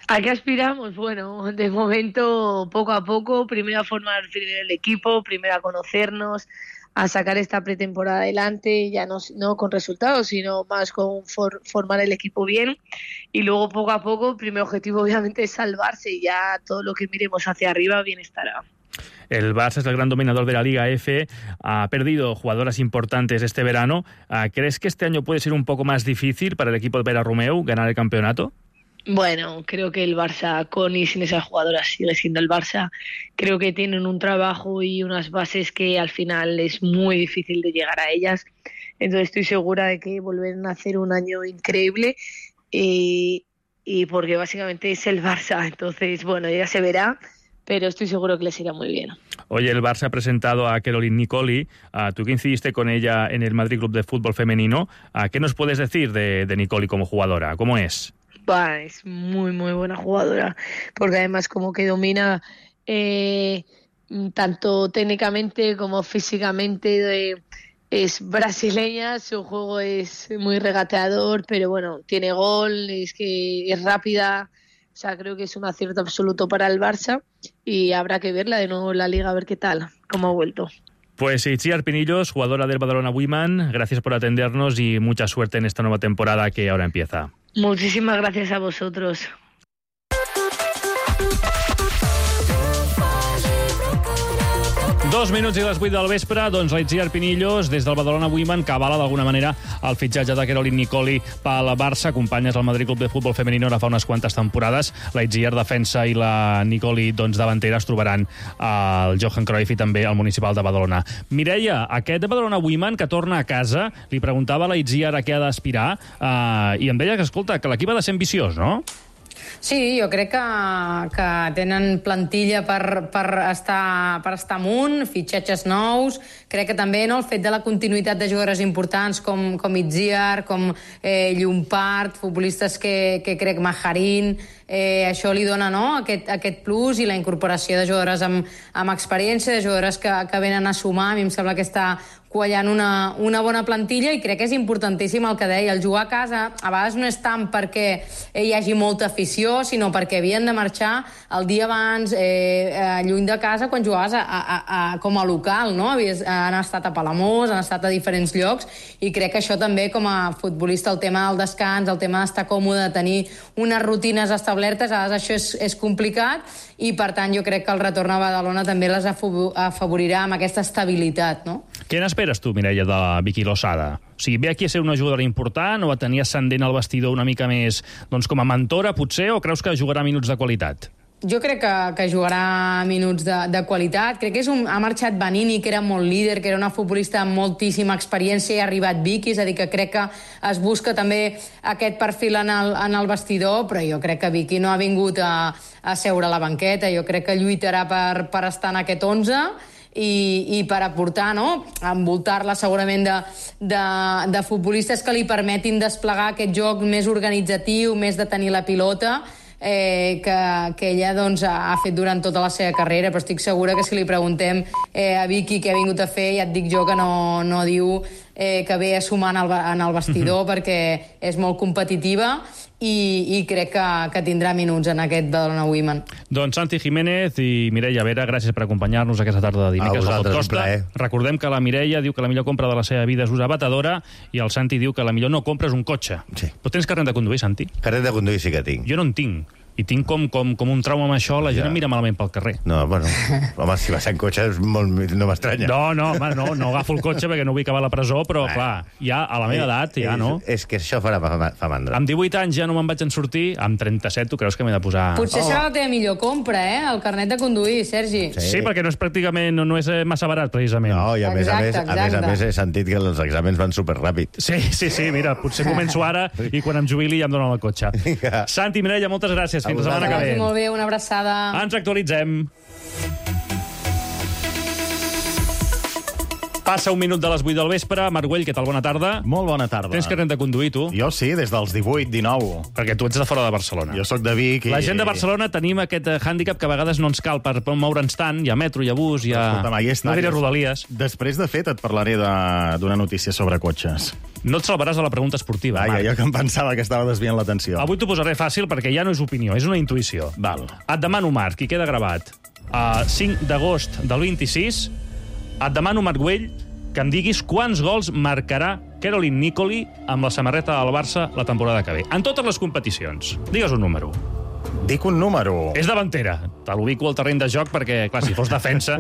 ¿A qué aspiramos? Bueno, de momento, poco a poco, primero a formar primero el equipo, primero a conocernos, a sacar esta pretemporada adelante, ya no, no con resultados, sino más con for, formar el equipo bien, y luego poco a poco, el primer objetivo obviamente es salvarse, y ya todo lo que miremos hacia arriba bien estará. El Barça es el gran dominador de la Liga F, ha perdido jugadoras importantes este verano. ¿Crees que este año puede ser un poco más difícil para el equipo de Vera Romeu ganar el campeonato? Bueno, creo que el Barça, con y sin esas jugadoras, sigue siendo el Barça. Creo que tienen un trabajo y unas bases que al final es muy difícil de llegar a ellas. Entonces estoy segura de que volverán a hacer un año increíble y, y porque básicamente es el Barça. Entonces, bueno, ya se verá, pero estoy seguro que les irá muy bien. Oye, el Barça ha presentado a Caroline Nicoli. Uh, tú que incidiste con ella en el Madrid Club de Fútbol Femenino, uh, ¿qué nos puedes decir de, de Nicoli como jugadora? ¿Cómo es? Bah, es muy, muy buena jugadora, porque además como que domina eh, tanto técnicamente como físicamente. De, es brasileña, su juego es muy regateador, pero bueno, tiene gol, es que es rápida. O sea, creo que es un acierto absoluto para el Barça y habrá que verla de nuevo en la Liga, a ver qué tal, cómo ha vuelto. Pues Itziar Pinillos, jugadora del Badalona Women, gracias por atendernos y mucha suerte en esta nueva temporada que ahora empieza. Muchísimas gracias a vosotros. Dos minuts i les vuit del vespre, doncs la Itziar Pinillos, des del Badalona Women, que avala d'alguna manera el fitxatge de Caroline Nicoli pel Barça, acompanyes al Madrid Club de Futbol Femenino ara fa unes quantes temporades. La Itziar defensa i la Nicoli, doncs, davantera, es trobaran al Johan Cruyff i també al Municipal de Badalona. Mireia, aquest Badalona Women que torna a casa, li preguntava a la Itziar a què ha d'aspirar, eh, i em deia que, escolta, que l'equip ha de ser ambiciós, no? Sí, jo crec que, que tenen plantilla per, per, estar, per estar amunt, fitxatges nous. Crec que també no, el fet de la continuïtat de jugadors importants com, com Itziar, com eh, Llompart, futbolistes que, que crec Majarín, eh, això li dona no, aquest, aquest plus, i la incorporació de jugadores amb, amb experiència, de jugadores que, que venen a sumar. A mi em sembla que està quallant una, una bona plantilla, i crec que és importantíssim el que deia. El jugar a casa a vegades no és tant perquè hi hagi molta afició, sinó perquè havien de marxar el dia abans, eh, lluny de casa, quan jugaves a, a, a, com a local, no? Havies, han estat a Palamós, han estat a diferents llocs, i crec que això també, com a futbolista, el tema del descans, el tema d'estar còmode, de tenir unes rutines establertes, a vegades això és, és complicat, i per tant jo crec que el retorn a Badalona també les afavorirà amb aquesta estabilitat, no? Què n'esperes tu, Mireia, de la Vicky Losada? O sigui, ve aquí a ser una jugadora important, o a tenir ascendent al vestidor una mica més, doncs, com a mentora, potser, o creus que jugarà minuts de qualitat? Jo crec que, que jugarà minuts de, de qualitat. Crec que és un, ha marxat Vanini, que era molt líder, que era una futbolista amb moltíssima experiència, i ha arribat Vicky, és a dir, que crec que es busca també aquest perfil en el, en el vestidor, però jo crec que Vicky no ha vingut a, a seure a la banqueta. Jo crec que lluitarà per, per estar en aquest onze, i, i per aportar, no?, envoltar-la segurament de, de, de futbolistes que li permetin desplegar aquest joc més organitzatiu, més de tenir la pilota, eh, que, que ella doncs, ha fet durant tota la seva carrera. Però estic segura que si li preguntem eh, a Vicky què ha vingut a fer, ja et dic jo que no, no diu eh, que ve a sumar en el, en el vestidor, mm-hmm. perquè és molt competitiva, i, i crec que, que tindrà minuts en aquest Badalona Women. Doncs Santi Jiménez i Mireia Vera, gràcies per acompanyar-nos aquesta tarda de dimecres a Podcosta. Recordem que la Mireia diu que la millor compra de la seva vida és usar batedora, i el Santi diu que la millor no compra és un cotxe. Sí. Però tens carnet de conduir, Santi? Carnet de conduir sí que tinc. Jo no en tinc. I tinc com, com, com un trauma amb això, la gent ja. em mira malament pel carrer. No, bueno, home, si vas en cotxe és molt, no m'estranya. No, no, home, no, no agafo el cotxe perquè no vull acabar a la presó, però, ah. clar, ja a la meva edat, ja, no? És, és que això farà fa mandra. Amb divuit anys ja no me'n vaig en sortir, amb trenta-set tu creus que m'he de posar... Potser oh. serà la teva millor compra, eh?, el carnet de conduir, Sergi. Sí, sí, perquè no és pràcticament, no, no és massa barat, precisament. No, i a més, exacte, a, més, a més a més he sentit que els exàmens van superràpid. Sí, sí, sí, mira, potser començo ara i quan em jubili ja em donen el cotxe. Santi, Mireia, moltes gràcies. Fins la setmana que ve. Molt bé, una abraçada. Ens actualitzem. Passa un minut de les vuit del vespre. Marc Güell, què tal? Bona tarda. Molt bona tarda. Tens carnet de conduir, tu? Jo sí, des dels divuit, dinou. Perquè tu ets de fora de Barcelona. Jo sóc de Vic. I... La gent de Barcelona tenim aquest hàndicap que a vegades no ens cal per moure'ns tant. Hi ha metro, hi ha bus, hi ha... Escolta, mai no diré rodalies. Després, de fet, et parlaré d'una notícia sobre cotxes. No et salvaràs de la pregunta esportiva, Ai, Marc. Jo que em pensava que estava desviant l'atenció. Avui t'ho posaré fàcil perquè ja no és opinió, és una intuïció. Val. Et demano, Marc, i queda gravat, a cinc d'agost del vint-i-sis, et demano, Marc Güell, que em diguis quants gols marcarà Caroline Nicoli amb la samarreta del Barça la temporada que ve. En totes les competicions. Digues un número. Dic un número. És davantera. Te l'ubico al terreny de joc perquè, clar, si fos defensa...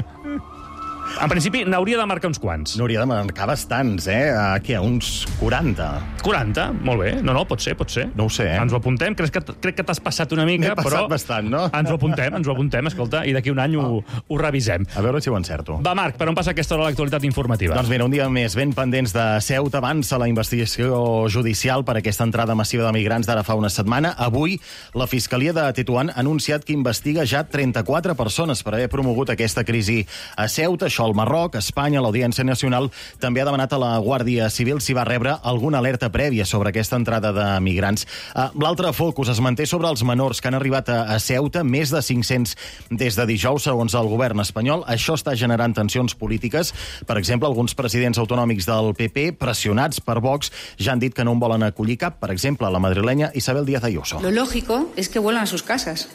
En principi, n'hauria de marcar uns quants. N'hauria de marcar bastants, eh? Uh, què, uns quaranta? quaranta? Molt bé. No, no, pot ser, pot ser. No ho sé, eh? Ens ho apuntem. Crec que, crec que t'has passat una mica, M'he passat però... bastant, no? Ens ho apuntem, ens ho apuntem, escolta, i d'aquí un any ho, ho revisem. A veure si ho encerto. Va, Marc, per on passa aquesta hora l'actualitat informativa? Doncs mira, un dia més ben pendents de Ceuta. Avança la investigació judicial per aquesta entrada massiva de migrants d'ara fa una setmana. Avui, la Fiscalia de Tetuan ha anunciat que investiga ja trenta-quatre persones per haver promogut aquesta crisi a Ceuta, això al Marroc, Espanya. L'Audiència Nacional també ha demanat a la Guàrdia Civil si va rebre alguna alerta prèvia sobre aquesta entrada de migrants. L'altre focus es manté sobre els menors que han arribat a Ceuta, més de cinc-cents des de dijous, segons el govern espanyol. Això està generant tensions polítiques. Per exemple, alguns presidents autonòmics del P P, pressionats per Vox, ja han dit que no en volen acollir cap. Per exemple, la madrilenya Isabel Díaz Ayuso. Lo lógico es que vuelvan a sus casas.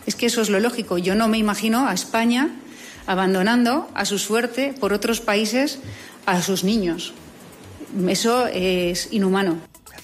Es que eso es lo lógico. Yo no me imagino a España abandonando a su suerte por otros países a sus niños. Eso es inhumano.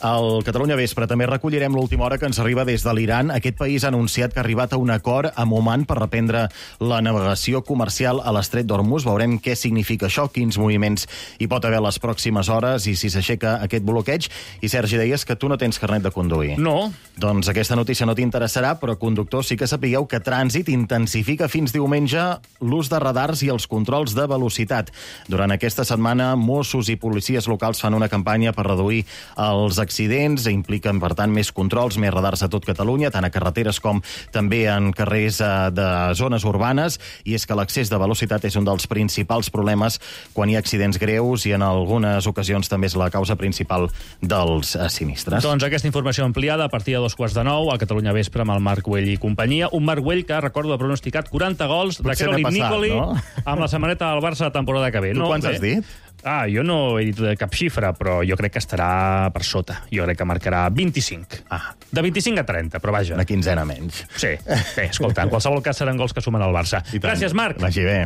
Al Catalunya Vespre també recollirem l'última hora que ens arriba des de l'Iran. Aquest país ha anunciat que ha arribat a un acord amb Oman per reprendre la navegació comercial a l'estret d'Hormuz. Veurem què significa això, quins moviments hi pot haver les pròximes hores i si s'aixeca aquest bloqueig. I, Sergi, deies que tu no tens carnet de conduir. No. Doncs aquesta notícia no t'interessarà, però, conductors, sí que sapigueu que Trànsit intensifica fins diumenge l'ús de radars i els controls de velocitat. Durant aquesta setmana, Mossos i policies locals fan una campanya per reduir els accidents, impliquen, per tant, més controls, més radars a tot Catalunya, tant a carreteres com també en carrers de zones urbanes, i és que l'excés de velocitat és un dels principals problemes quan hi ha accidents greus i en algunes ocasions també és la causa principal dels sinistres. Doncs aquesta informació ampliada a partir de dos quarts de nou a Catalunya Vespre amb el Marc Güell i companyia. Un Marc Güell que, recordo, ha pronosticat quaranta gols de Caroline Nicoli, no? Amb la samarreta del Barça de temporada que ve. Tu no, quants bé? has dit? Ah, jo no he dit cap xifra, però jo crec que estarà per sota. Jo crec que marcarà vint-i-cinc. Ah. De vint-i-cinc a trenta, però vaja. Una quinzena menys. Sí. Bé, escolta, en qualsevol cas seran gols que sumen al Barça. Gràcies, Marc. Vagi bé.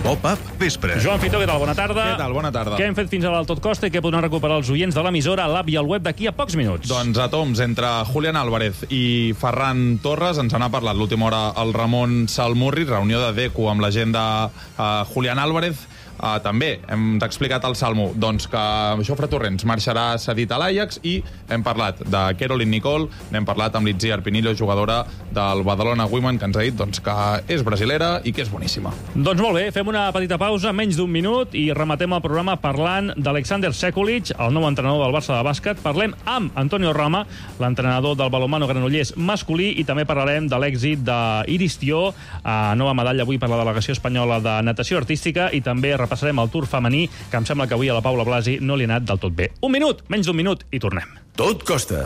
Pop-up Vespre. Joan Fitó, què tal? Bona tarda. Què tal? Bona tarda. Què hem fet fins ara al Tot Costa i què podran recuperar els oients de l'emissora, l'app i el web d'aquí a pocs minuts? Doncs a toms, entre Julián Álvarez i Ferran Torres ens n'ha parlat l'última hora el Ramon Salmurri, reunió de Deco amb la gent de uh, Julián Álvarez. Uh, també hem explicat al Salmo doncs, que Jofre Torrents marxarà cedit a l'Ajax i hem parlat de Caroline Nicole, n'hem parlat amb l'Itziar Pinillo, jugadora del Badalona Women, que ens ha dit doncs, que és brasilera i que és boníssima. Doncs molt bé, fem una petita pausa, menys d'un minut, i rematem el programa parlant d'Alexander Sekulic, el nou entrenador del Barça de bàsquet. Parlem amb Antonio Rama, l'entrenador del balonmano Granollers masculí, i també parlarem de l'èxit d'Iris Tió, a nova medalla avui per la delegació espanyola de natació artística, i també repassarem el Tour femení, que em sembla que avui a la Paula Blasi no li ha anat del tot bé. Un minut, menys d'un minut, i tornem. Tot Costa,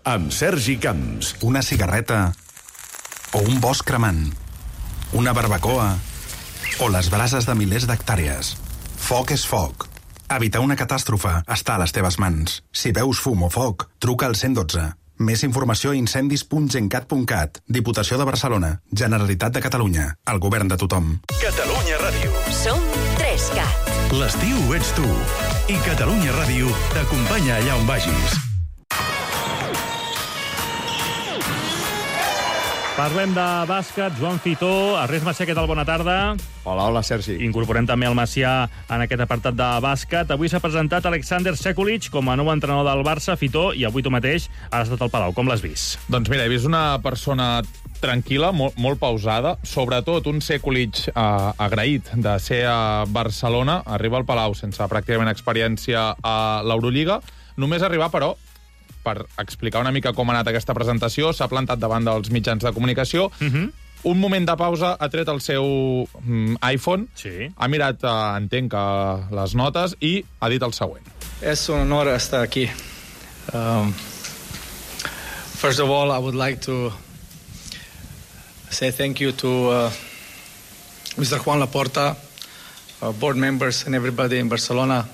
amb Sergi Camps. Una cigarreta o un bosc cremant, una barbacoa o les brases de milers d'hectàrees. Foc és foc. Evitar una catàstrofe està a les teves mans. Si veus fum o foc, truca al cent dotze. Més informació a incendis punt gencat punt cat. Diputació de Barcelona. Generalitat de Catalunya. El govern de tothom. Catalunya Ràdio. Som tres cat. L'estiu ets tu. I Catalunya Ràdio t'acompanya allà on vagis. Parlem de bàsquet, Joan Fitó. Ernest Macià, què tal? Bona tarda. Hola, hola, Sergi. Incorporem també el Macià en aquest apartat de bàsquet. Avui s'ha presentat Alexander Sekulic com a nou entrenador del Barça. Fitó, i avui tu mateix has estat al Palau. Com l'has vist? Doncs mira, he vist una persona tranquil·la, molt, molt pausada, sobretot un Sekulic eh, agraït de ser a Barcelona. Arriba al Palau sense pràcticament experiència a l'Eurolliga. Només arribar, però, per explicar una mica com ha anat aquesta presentació, s'ha plantat davant dels mitjans de comunicació. Uh-huh. Un moment de pausa, ha tret el seu mm, iPhone, sí. Ha mirat, eh, entenc, que les notes, i ha dit el següent. És un honor estar aquí. Um, first of all, I would like to say thank you to uh, mister Juan Laporta, uh, board members and everybody in Barcelona.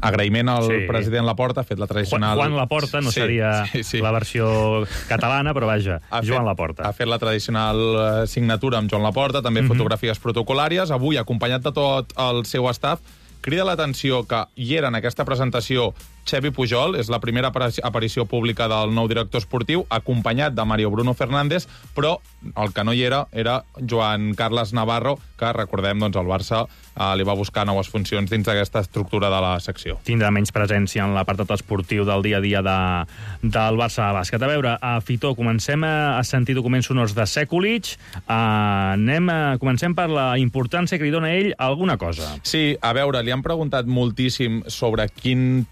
Agraïment al sí. president Laporta, ha fet la tradicional... Juan Laporta no sí, seria sí, sí. la versió catalana, però vaja, ha Joan fet, Laporta. Ha fet la tradicional signatura amb Joan Laporta, també mm-hmm. fotografies protocolàries. Avui, acompanyat de tot el seu staff, crida l'atenció que hi era en aquesta presentació Xevi Pujol, és la primera aparició pública del nou director esportiu, acompanyat de Mario Bruno Fernández, però el que no hi era era Joan Carles Navarro, que, recordem, doncs, el Barça eh, li va buscar noves funcions dins d'aquesta estructura de la secció. Tindrà menys presència en l'apartat esportiu del dia a dia de, del Barça de bàsquet. A veure, a Fitó, comencem a, a sentir documents sonors de Sekulic. Uh, anem a, comencem per la importància que li dona ell a alguna cosa. Sí, a veure, li han preguntat moltíssim sobre quin,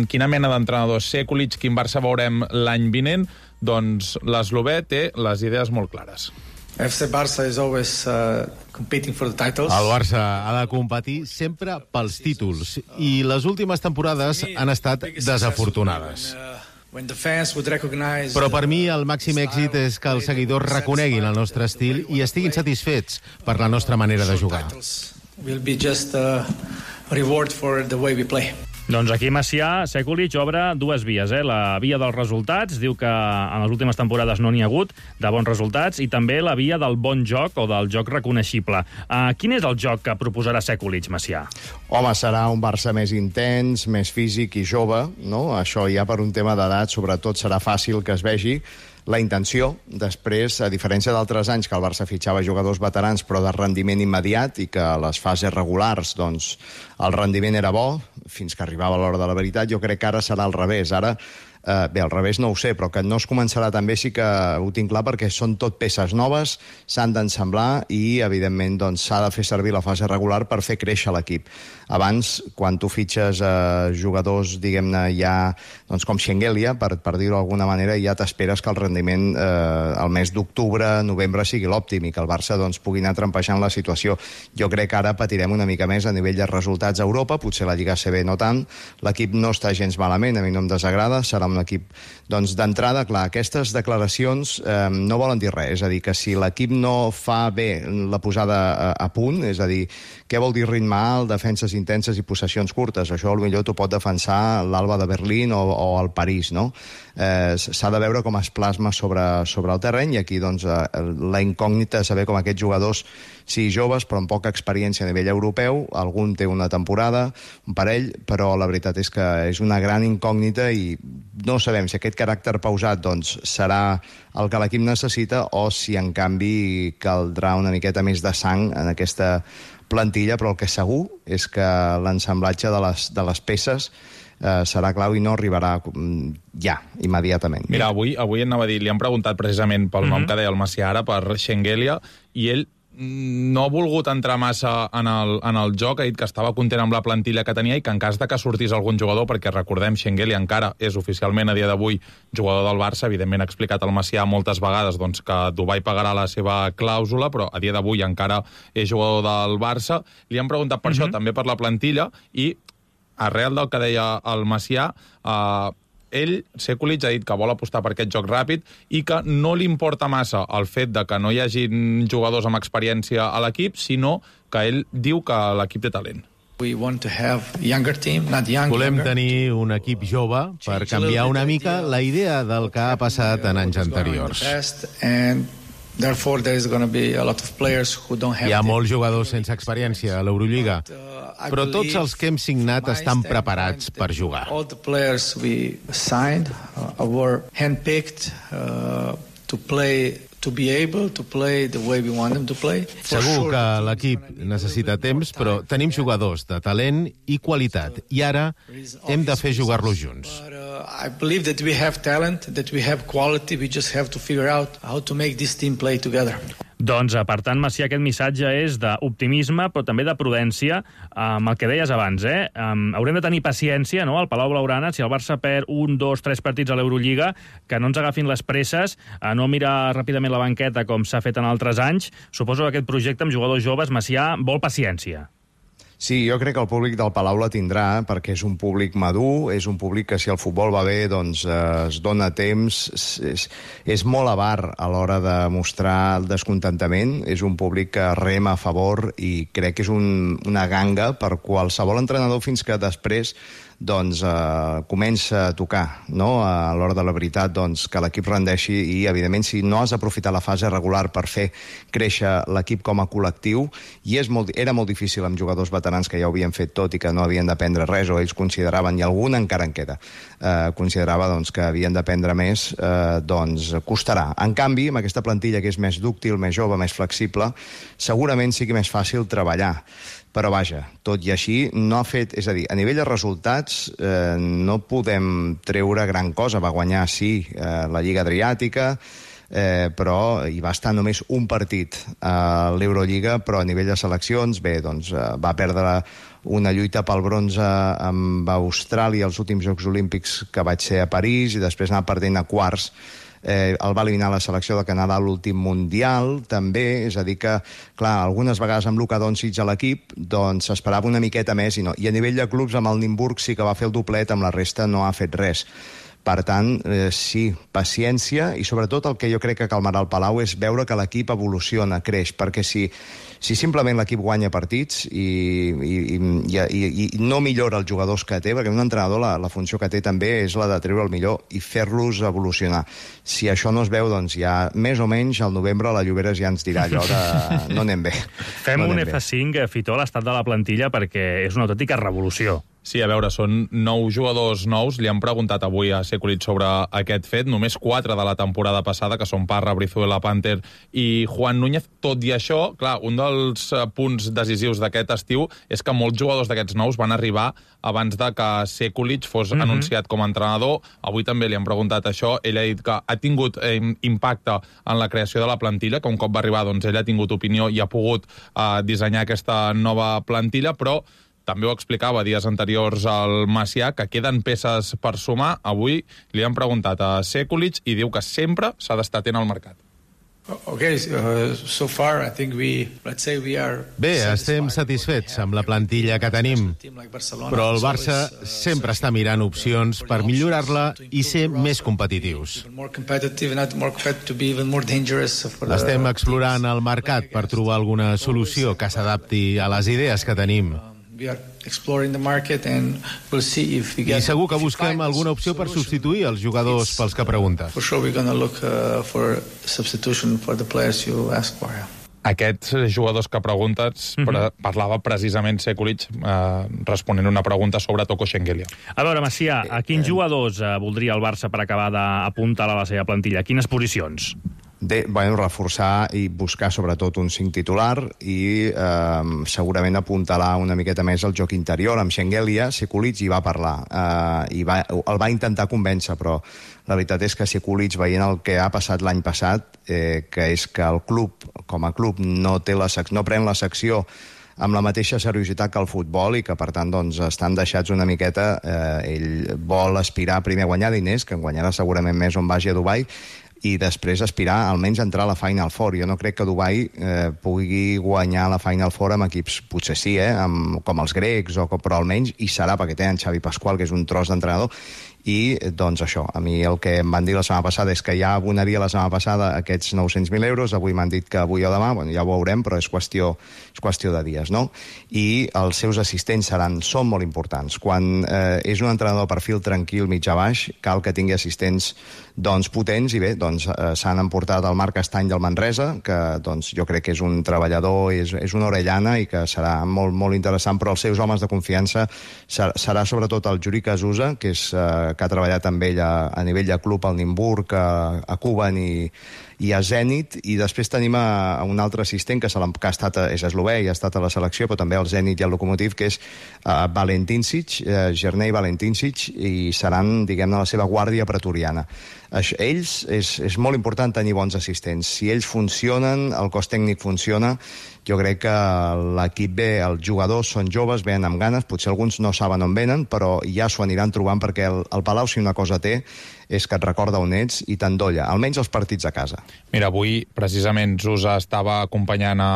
quina mena d'entrenador és Sekulic, quin Barça veurem l'any vinent. Doncs l'eslovè té les idees molt clares. F C Barça is always uh, competing for the titles. El Barça ha de competir sempre pels títols i les últimes temporades han estat desafortunades. Però per mi el màxim èxit és que els seguidors reconeguin el nostre estil i estiguin satisfets per la nostra manera de jugar. Will be just a reward for the way we play. Doncs aquí Macià, Sekulic obre dues vies, eh? La via dels resultats, diu que en les últimes temporades no n'hi ha hagut de bons resultats, i també la via del bon joc o del joc reconeixible. Uh, quin és el joc que proposarà Sekulic, Macià? Home, serà un Barça més intens, més físic i jove, no? Això ja per un tema d'edat, sobretot serà fàcil que es vegi la intenció. Després, a diferència d'altres anys que el Barça fitxava jugadors veterans però de rendiment immediat i que a les fases regulars doncs, el rendiment era bo fins que arribava l'hora de la veritat, jo crec que ara serà al revés. Ara Uh, bé, al revés no ho sé, però que no es començarà també sí que ho tinc clar, perquè són tot peces noves, s'han d'ensamblar i, evidentment, doncs, s'ha de fer servir la fase regular per fer créixer l'equip. Abans, quan tu fitxes uh, jugadors, diguem-ne, ja doncs, com Schengelia, per, per dir-ho d'alguna manera, ja t'esperes que el rendiment eh, el mes d'octubre, novembre sigui l'òptim i que el Barça doncs, pugui anar trampejant la situació. Jo crec que ara patirem una mica més a nivell de resultats a Europa, potser la Lliga A C B no tant, l'equip no està gens malament, a mi no em desagrada, serà un equip doncs, d'entrada. Clar, aquestes declaracions eh, no volen dir res, és a dir, que si l'equip no fa bé la posada a, a punt, és a dir, què vol dir ritme alt, defenses intenses i possessions curtes? Això potser t'ho pot defensar l'Alba de Berlín o, o el París, no? Eh, s'ha de veure com es plasma sobre, sobre el terreny, i aquí doncs, eh, la incògnita és saber com aquests jugadors, sí, joves, però amb poca experiència a nivell europeu, algun té una temporada, un parell, però la veritat és que és una gran incògnita i no sabem si aquest caràcter pausat doncs, serà el que l'equip necessita o si, en canvi, caldrà una miqueta més de sang en aquesta plantilla, però el que segur és que l'ensamblatge de les, de les peces eh, serà clau i no arribarà ja, immediatament. Mira, avui, avui anava a dir, li han preguntat precisament pel mm-hmm. nom que deia el Macià ara, per Schengelia, i ell no ha volgut entrar massa en el, en el joc, ha dit que estava content amb la plantilla que tenia i que en cas de que sortís algun jugador, perquè recordem, Schengelia encara és oficialment a dia d'avui jugador del Barça, evidentment ha explicat el Macià moltes vegades doncs, que Dubai pagarà la seva clàusula, però a dia d'avui encara és jugador del Barça. Li han preguntat per mm-hmm. això, també per la plantilla, i arrel del que deia el Macià, eh, ell, Sekulic, ha dit que vol apostar per aquest joc ràpid i que no li importa massa el fet de que no hi hagi jugadors amb experiència a l'equip, sinó que ell diu que l'equip té talent. Volem tenir un equip jove per canviar una mica la idea del que ha passat en anys anteriors. Hi ha molts jugadors sense experiència a l'Eurolliga, però tots els que hem signat estan preparats per jugar. All the players we signed uh, were handpicked uh, to play to be able to play the way we want them to play. Segur que l'equip necessita temps, però tenim jugadors de talent i qualitat, i ara hem de fer jugar-los junts. I believe that we have talent, that we have quality, we just have to figure out how to make this team play together. Doncs, per tant, Macià, aquest missatge és d'optimisme, però també de prudència, amb el que deies abans, eh? Um, haurem de tenir paciència, no?, al Palau Blaugrana, si el Barça perd un, dos, tres partits a l'Eurolliga, que no ens agafin les presses, a no mirar ràpidament la banqueta com s'ha fet en altres anys. Suposo que aquest projecte amb jugadors joves, Macià, vol paciència. Sí, jo crec que el públic del Palau la tindrà, perquè és un públic madur, és un públic que si el futbol va bé doncs eh, es dona temps, és, és molt avar a l'hora de mostrar el descontentament, és un públic que rema a favor i crec que és un, una ganga per qualsevol entrenador fins que després doncs eh, comença a tocar, no?, a l'hora de la veritat, doncs, que l'equip rendeixi i, evidentment, si no has aprofitat la fase regular per fer créixer l'equip com a col·lectiu, i és molt, era molt difícil amb jugadors veterans que ja ho havien fet tot i que no havien d'aprendre res, o ells consideraven, i algun encara en queda, eh, considerava doncs, que havien d'aprendre més, eh, doncs costarà. En canvi, amb aquesta plantilla que és més dúctil, més jove, més flexible, segurament sigui més fàcil treballar. Però vaja, tot i així, no ha fet... És a dir, a nivell de resultats eh, no podem treure gran cosa. Va guanyar, sí, eh, la Lliga Adriàtica, eh, però hi va estar només un partit a l'Eurolliga, però a nivell de seleccions, bé, doncs eh, va perdre una lluita pel bronze amb Austràlia als últims Jocs Olímpics que vaig ser a París, i després anar perdent a quarts. Eh, el va eliminar la selecció de Canadà a l'últim Mundial, també, és a dir que, clar, algunes vegades amb Luka Doncic a l'equip, doncs s'esperava una miqueta més, i no. I a nivell de clubs, amb el Nimburg sí que va fer el doblet, amb la resta no ha fet res. Per tant, eh, sí, paciència, i sobretot el que jo crec que calmarà el Palau és veure que l'equip evoluciona, creix, perquè si, si simplement l'equip guanya partits i, i, i, i, i no millora els jugadors que té, perquè un entrenador la, la funció que té també és la de treure el millor i fer-los evolucionar. Si això no es veu, doncs ja més o menys al novembre la Lloberes ja ens dirà allò de no anem bé. Fem no un anem F cinc, Fitó, a l'estat de la plantilla, perquè és una autèntica revolució. Sí, a veure, són nou jugadors nous. Li han preguntat avui a Sekulic sobre aquest fet. Només quatre de la temporada passada, que són Parra, Brizuela, Panther i Juan Núñez. Tot i això, clar, un dels punts decisius d'aquest estiu és que molts jugadors d'aquests nous van arribar abans de que Sekulic fos mm-hmm. anunciat com a entrenador. Avui també li han preguntat això. Ell ha dit que ha tingut eh, impacte en la creació de la plantilla, que un cop va arribar, doncs, ell ha tingut opinió i ha pogut eh, dissenyar aquesta nova plantilla, però també ho explicava dies anteriors al Macià, que queden peces per sumar. Avui li han preguntat a Sekulic i diu que sempre s'ha d'estar atent al mercat. Okay, uh, so far I think we, let's say we are Bé, estem satisfets amb la plantilla que tenim, però el Barça sempre està mirant opcions per millorar-la i ser més competitius. Estem explorant el mercat per trobar alguna solució que s'adapti a les idees que tenim. I segur que busquem alguna opció per substituir els jugadors pels que preguntes. Aquests jugadors que preguntes mm-hmm. parlava precisament Sekulic eh, responent una pregunta sobre Toko Shengelia. A veure, Macià, a quins jugadors eh, voldria el Barça per acabar d'apuntar a la seva plantilla? Quines posicions? De, bueno, reforçar i buscar sobretot un cinc titular i eh, segurament apuntalar una miqueta més el joc interior. Amb Shengelia, Sekulic hi va parlar eh, i va, el va intentar convèncer, però la veritat és que Sekulic, veient el que ha passat l'any passat, eh, que és que el club, com a club, no, té la sec- no pren la secció amb la mateixa seriositat que el futbol i que, per tant, doncs, estan deixats una miqueta. Eh, ell vol aspirar primer a guanyar diners, que en guanyarà segurament més on vagi a Dubai, i després aspirar almenys a entrar a la Final Four. Jo no crec que Dubai eh, pugui guanyar la Final Four amb equips, potser sí, eh, amb, com els grecs, o, però almenys hi serà, perquè tenen Xavi Pascual, que és un tros d'entrenador, i doncs això, a mi el que em van dir la setmana passada és que ja abonaria la setmana passada aquests nou-cents mil euros, avui m'han dit que avui o demà, bueno, ja ho veurem, però és qüestió, és qüestió de dies, no? I els seus assistents seran, són molt importants. Quan eh, és un entrenador de perfil tranquil, mitjà baix, cal que tingui assistents doncs, potents, i bé, doncs, eh, s'han emportat el Marc Estany del Manresa, que doncs, jo crec que és un treballador, és, és una orellana i que serà molt, molt interessant, però els seus homes de confiança ser, serà sobretot el Juri Casusa, que és eh, que ha treballat amb ell a, a nivell de club al Nimburg, a, a Kuban i, i a Zenit, i després tenim a, a un altre assistent que, se que ha estat, és eslovè i ha estat a la selecció, però també al Zenit i al Lokomotiv, que és uh, Valentincic, uh, Gernei Valentincic, i seran, diguem-ne, la seva guàrdia pretoriana. Això, ells, és, és molt important tenir bons assistents. Si ells funcionen, el cos tècnic funciona, jo crec que l'equip bé, els jugadors són joves, venen amb ganes, potser alguns no saben on venen, però ja s'ho aniran trobant, perquè el, el Palau, si una cosa té, és que et recorda on ets i t'endolla, almenys els partits a casa. Mira, avui precisament Zusa estava acompanyant a,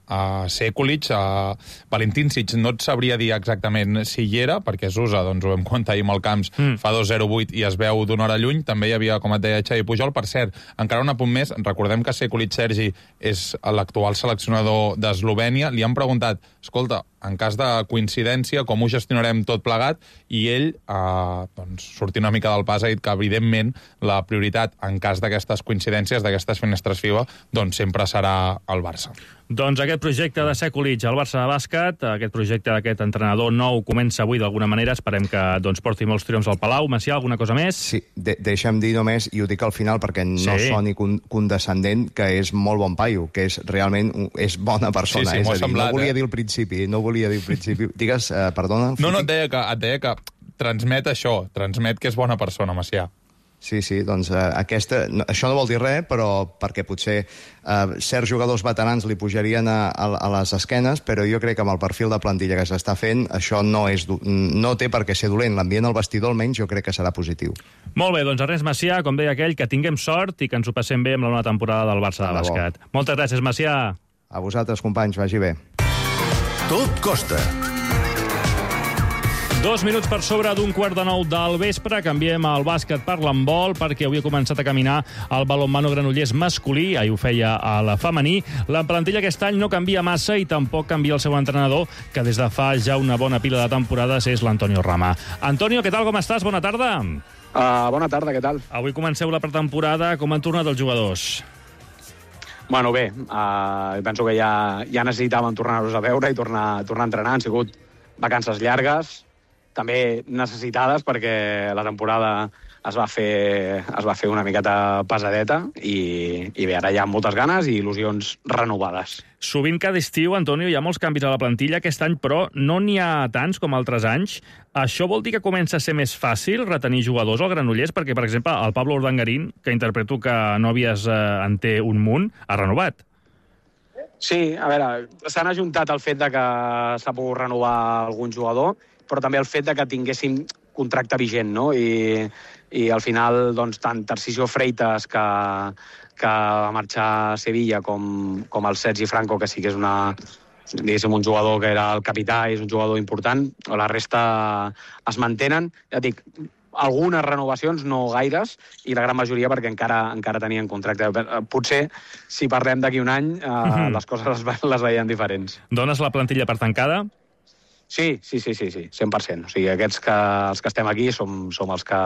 a Sekulic, a Valentincic no et sabria dir exactament si hi era, perquè Zusa, doncs ho vam comptar ahir amb el Camps, mm. fa dos zero vuit i es veu d'una hora lluny, també hi havia, com et deia, Xavi Pujol. Per cert, encara un apunt més, recordem que Sekulic Sergi és l'actual seleccionador d'Eslovènia, li han preguntat, escolta, en cas de coincidència, com ho gestionarem tot plegat, i ell, eh, doncs, sortint una mica del pas, ha dit que, evidentment, la prioritat, en cas d'aquestes coincidències, d'aquestes finestres FIBA, doncs sempre serà el Barça. Doncs aquest projecte de Sekulic al Barça de bàsquet, aquest projecte d'aquest entrenador nou comença avui d'alguna manera, esperem que doncs, porti molts triomfs al Palau. Macià, alguna cosa més? Sí, de deixa'm dir només, i ho dic al final perquè no sí. soni condescendent, que és molt bon paio, que és realment és bona persona. Sí, sí, és a dir, semblat, no volia eh? dir al principi, no volia dir al principi. Digues, eh, perdona. No, no, et deia, que, et deia que transmet això, transmet que és bona persona, Macià. Sí, sí, doncs eh, aquesta, no, això no vol dir res, però perquè potser eh, certs jugadors veterans li pujarien a, a, a les esquenes, però jo crec que amb el perfil de plantilla que s'està fent, això no, és, no té per què ser dolent. L'ambient al vestidor, almenys, jo crec que serà positiu. Molt bé, doncs Ernest Macià, com deia aquell, que tinguem sort i que ens ho passem bé amb la nova temporada del Barça de bàsquet. Moltes gràcies, Macià. A vosaltres, companys, vagi bé. Tot costa. Dos minuts per sobre d'un quart de nou del vespre. Canviem el bàsquet per l'handbol, perquè avui ha començat a caminar el balonmano Granollers masculí, ahir ho feia a la femení. La plantilla aquest any no canvia massa i tampoc canvia el seu entrenador, que des de fa ja una bona pila de temporades és l'Antonio Rama. Antonio, què tal, com estàs? Bona tarda. Uh, bona tarda, què tal? Avui comenceu la pretemporada. Com han tornat els jugadors? Bueno, bé, uh, penso que ja, ja necessitàvem tornar-los a veure i tornar, tornar a entrenar. Han sigut vacances llargues, també necessitades, perquè la temporada es va fer, es va fer una miqueta pesadeta i, i bé, ara hi ha moltes ganes i il·lusions renovades. Sovint cada estiu, Antonio, hi ha molts canvis a la plantilla. Aquest any, però, no n'hi ha tants com altres anys. Això vol dir que comença a ser més fàcil retenir jugadors al Granollers? Perquè, per exemple, el Pablo Urdangarín, que interpreto que Nòvies eh, en té un munt, ha renovat. Sí, a veure, s'han ajuntat el fet de que s'ha pogut renovar algun jugador, però també el fet de que tinguéssim contracte vigent, no? I, i al final, doncs, tant Tarcisio Freitas, que, que va marxar a Sevilla, com, com el Sergi Franco, que sí que és una, diguéssim, un jugador que era el capità i és un jugador important, o la resta es mantenen. Ja dic, algunes renovacions, no gaires, i la gran majoria perquè encara encara tenien contracte. Potser, si parlem d'aquí un any, eh, mm-hmm. les coses les, les veien diferents. Dones la plantilla per tancada? Sí, sí, sí, sí, sí, cent per cent. O sigui, aquests que, els que estem aquí som, som els, que,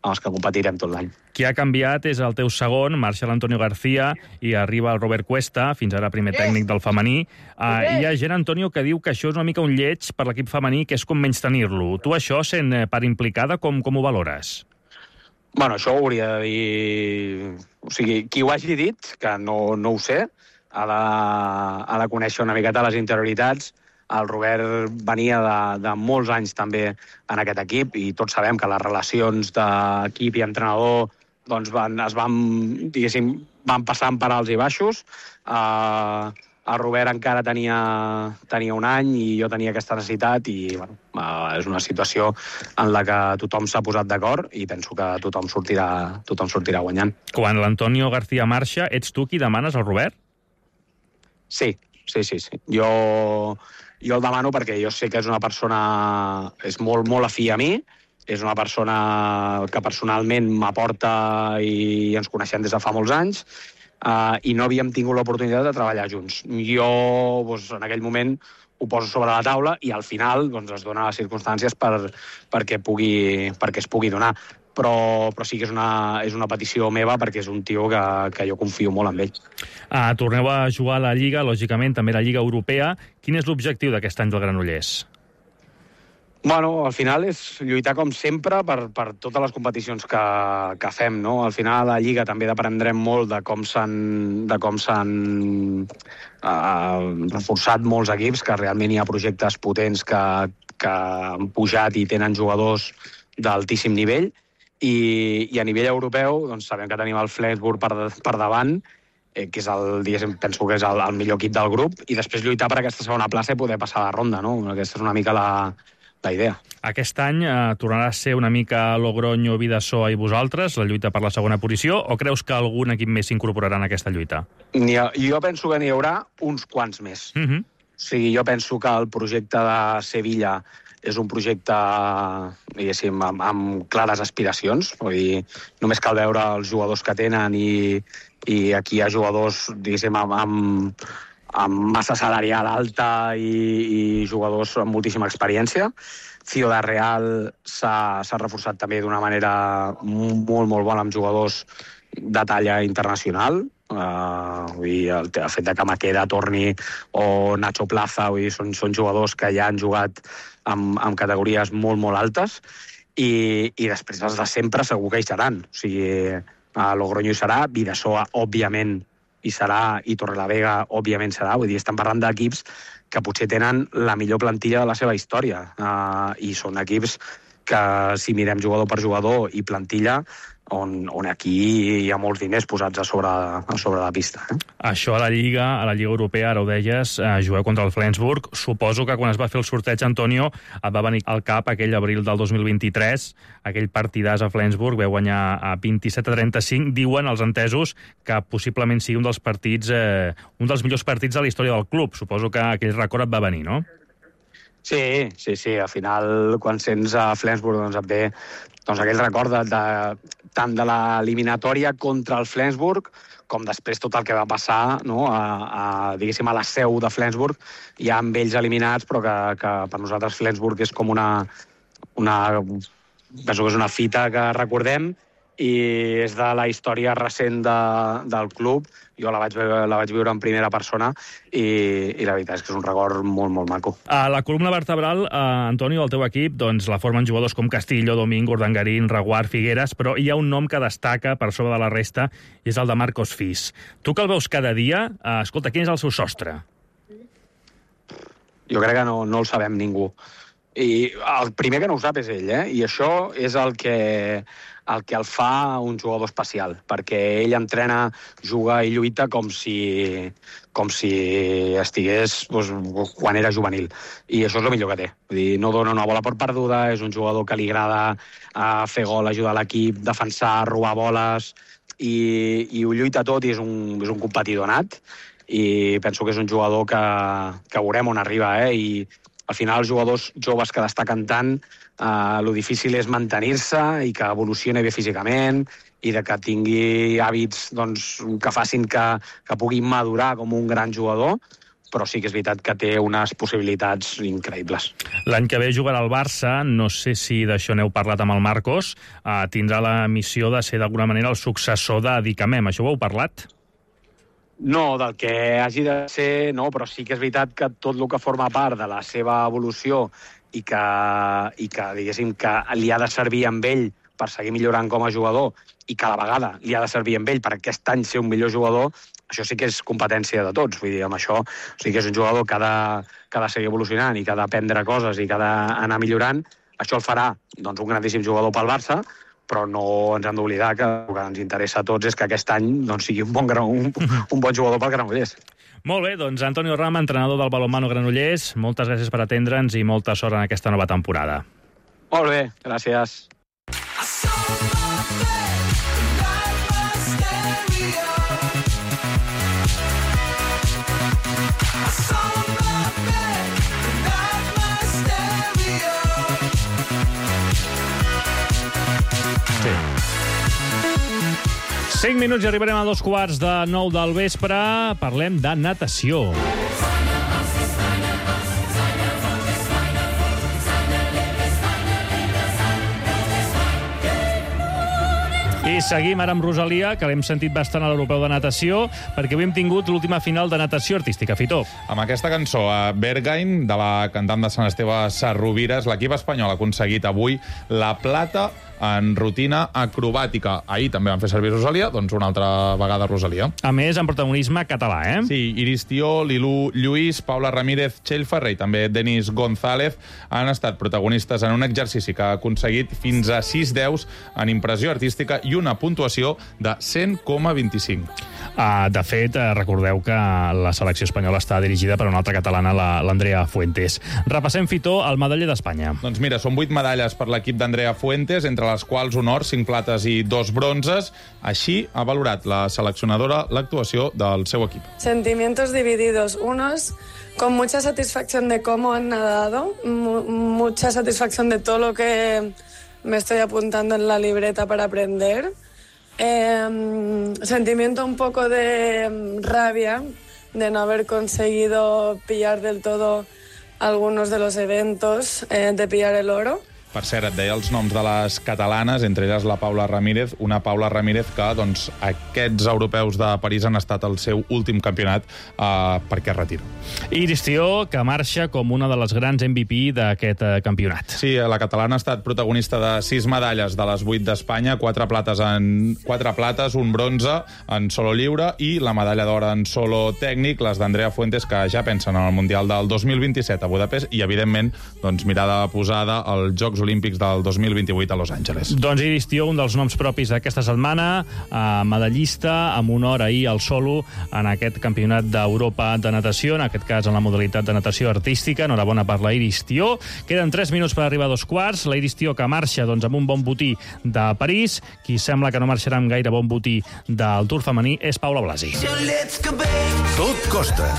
els que competirem tot l'any. Qui ha canviat és el teu segon, Marshal Antonio García, i arriba el Robert Cuesta, fins ara primer tècnic del femení. Uh, hi ha gent, Antonio, que diu que això és una mica un lleig per l'equip femení, que és com menys tenir-lo. Tu això, sent part implicada, com, com ho valores? Bueno, això ho hauria de dir... O sigui, qui ho hagi dit, que no, no ho sé, ha de, ha de conèixer una miqueta les interioritats. El Robert venia de, de molts anys també en aquest equip i tots sabem que les relacions d'equip i entrenador doncs van, es van, diguéssim, van passant per alts i baixos. Uh, el Robert encara tenia, tenia un any i jo tenia aquesta necessitat i bueno, uh, és una situació en la que tothom s'ha posat d'acord i penso que tothom sortirà, tothom sortirà guanyant. Quan l'Antonio García marxa, ets tu qui demanes al Robert? Sí, sí, sí. sí. Jo... Jo el demano perquè jo sé que és una persona... és molt, molt afí a mi, és una persona que personalment m'aporta i ens coneixem des de fa molts anys, uh, i no havíem tingut l'oportunitat de treballar junts. Jo, doncs, en aquell moment, ho poso sobre la taula i al final doncs, es donen les circumstàncies per, perquè, pugui, perquè es pugui donar. Però, però sí que és una, és una petició meva perquè és un tio que, que jo confio molt en ell. Ah, torneu a jugar a la Lliga, lògicament, també a la Lliga Europea. Quin és l'objectiu d'aquest any del Granollers? Bueno, al final és lluitar com sempre per, per totes les competicions que, que fem, no? Al final a la Lliga també aprendrem molt de com s'han de com s'han uh, reforçat molts equips, que realment hi ha projectes potents que, que han pujat i tenen jugadors d'altíssim nivell. I, i a nivell europeu doncs, sabem que tenim el Flensburg per, per davant, eh, que és el, diguéssim, penso que és el, el millor equip del grup, i després lluitar per aquesta segona plaça i poder passar la ronda, no? Aquesta és una mica la, la idea. Aquest any eh, tornarà a ser una mica Logroño, Vidasoa i vosaltres, la lluita per la segona posició, o creus que algun equip més s'incorporarà en aquesta lluita? Ha, jo penso que n'hi haurà uns quants més. Mm-hmm. O sigui, jo penso que el projecte de Sevilla és un projecte, diguéssim, amb, amb clares aspiracions. Vull dir, només cal veure els jugadors que tenen i, i aquí hi ha jugadors, diguéssim, amb, amb, amb massa salarial alta i, i jugadors amb moltíssima experiència. Ciudad Real s'ha reforçat també d'una manera molt, molt bona amb jugadors de talla internacional. Uh, vull dir, el, el fet de que Maqueda torni o Nacho Plaza, vull dir, són, són jugadors que ja han jugat amb, amb categories molt, molt altes i, i després els de sempre segur que hi seran. O sigui, a Logroño hi serà, Vidasoa, òbviament, hi serà, i Torrelavega, òbviament, serà. Vull dir, estem parlant d'equips que potser tenen la millor plantilla de la seva història uh, i són equips que, si mirem jugador per jugador i plantilla, on, on aquí hi ha molts diners posats a sobre, a sobre la pista. Eh? Això a la Lliga, a la Lliga Europea, ara ho deies, eh, jugueu contra el Flensburg. Suposo que quan es va fer el sorteig, Antonio, et va venir al cap aquell abril del dos mil vint-i-tres, aquell partidàs a Flensburg, veu guanyar a vint-i-set a trenta-cinc. Diuen els entesos que possiblement sigui un dels partits, eh, un dels millors partits de la història del club. Suposo que aquell record et va venir, no? Sí, sí, sí. Al final, quan sents a Flensburg, doncs et ve doncs, aquell record de, de, tant de l'eliminatòria contra el Flensburg com després tot el que va passar, no? a, a, diguéssim, a la seu de Flensburg, ja amb ells eliminats, però que, que per nosaltres Flensburg és com una, una... penso que és una fita que recordem i és de la història recent de, del club. Jo la vaig, la vaig viure en primera persona i, i la veritat és que és un record molt, molt maco. A la columna vertebral, eh, Antonio, el teu equip, doncs, la formen jugadors com Castillo, Domingo, Urdangarín, Reguard, Figueras, però hi ha un nom que destaca per sobre de la resta i és el de Marcos Fis. Tu que el veus cada dia, eh, escolta, quin és el seu sostre? Jo crec que no, no el sabem ningú. I el primer que no ho sap és ell, eh? I això és el que, el que el fa un jugador especial, perquè ell entrena, juga i lluita com si, com si estigués doncs, quan era juvenil. I això és el millor que té. Vull dir, no dona una bola per perduda, és un jugador que li agrada uh, fer gol, ajudar l'equip, defensar, robar boles, i, i ho lluita tot i és un, és un competidor nat. I penso que és un jugador que, que veurem on arriba, eh? I al final els jugadors joves que destaquen tant, eh, lo difícil és mantenir-se i que evolucioni bé físicament i de que tingui hàbits doncs, que facin que, que pugui madurar com un gran jugador, però sí que és veritat que té unes possibilitats increïbles. L'any que ve jugarà al Barça, no sé si d'això n'heu parlat amb el Marcos, eh, tindrà la missió de ser d'alguna manera el successor de Dicamem. Això ho heu parlat? No, del que hagi de ser, no, però sí que és veritat que tot el que forma part de la seva evolució i que, i que diguéssim, que li ha de servir amb ell per seguir millorant com a jugador i que a la vegada li ha de servir amb ell per aquest any ser un millor jugador, això sí que és competència de tots. Vull dir, amb això sí que és un jugador que ha de, que ha de seguir evolucionant i que ha d'aprendre coses i que ha d'anar millorant. Això el farà doncs, un grandíssim jugador pel Barça, però no ens hem d'oblidar que el que ens interessa a tots és que aquest any doncs, sigui un bon, un, un bon jugador pel Granollers. Molt bé, doncs Antonio Rama, entrenador del balonmano Granollers, moltes gràcies per atendre'ns i molta sort en aquesta nova temporada. Molt bé, gràcies. cinc minuts i arribarem a dos quarts de nou del vespre. Parlem de natació. I seguim ara amb Rosalia, que l'hem sentit bastant a l'Europeu de Natació, perquè avui hem tingut l'última final de natació artística. Fitó. Amb aquesta cançó, a Berghain, de la cantant de Sant Esteve Sarrovires, l'equip espanyol ha aconseguit avui la plata en rutina acrobàtica. Ahir també van fer servir Rosalia, doncs una altra vegada Rosalia. A més, en protagonisme català, eh? Sí, Iris Tió, Lilú Lluís, Paula Ramírez, Txell Ferrer i també Denis González han estat protagonistes en un exercici que ha aconseguit fins a sis deus en impressió artística i una puntuació de cent coma vint-i-cinc. Uh, de fet, uh, recordeu que la selecció espanyola està dirigida per una altra catalana, l'Andrea Fuentes. Repassem, Fitó, el medaller d'Espanya. Doncs mira, són vuit medalles per l'equip d'Andrea Fuentes, entre les quals un or, cinc plates i dos bronzes. Així ha valorat la seleccionadora l'actuació del seu equip. Sentimientos divididos. Unos con mucha satisfacción de cómo han nadado, mucha satisfacción de todo lo que me estoy apuntando en la libreta para aprender. Eh, sentimiento un poco de rabia de no haber conseguido pillar del todo algunos de los eventos, eh, de pillar el oro. Per cert, et deia els noms de les catalanes, entre elles la Paula Ramírez, una Paula Ramírez que doncs, aquests europeus de París han estat el seu últim campionat eh, perquè es retira. Iris Tió, que marxa com una de les grans M V P d'aquest eh, campionat. Sí, la catalana ha estat protagonista de sis medalles de les vuit d'Espanya, quatre plates, en, quatre plates, un bronze en solo lliure i la medalla d'or en solo tècnic, les d'Andrea Fuentes, que ja pensen en el Mundial del dos mil vint-i-set a Budapest i, evidentment, doncs, mirada posada als Jocs Olímpics del dos mil vint-i-vuit a Los Angeles. Doncs Iris Tió, un dels noms propis d'aquesta setmana, eh, medallista amb honor ahir al solo en aquest campionat d'Europa de natació, en aquest cas en la modalitat de natació artística. Enhorabona per la Iris Tió. Queden tres minuts per arribar a dos quarts. La Iris Tió que marxa doncs, amb un bon botí de París. Qui sembla que no marxarà amb gaire bon botí del Tour femení és Paula Blasi. Tot costa.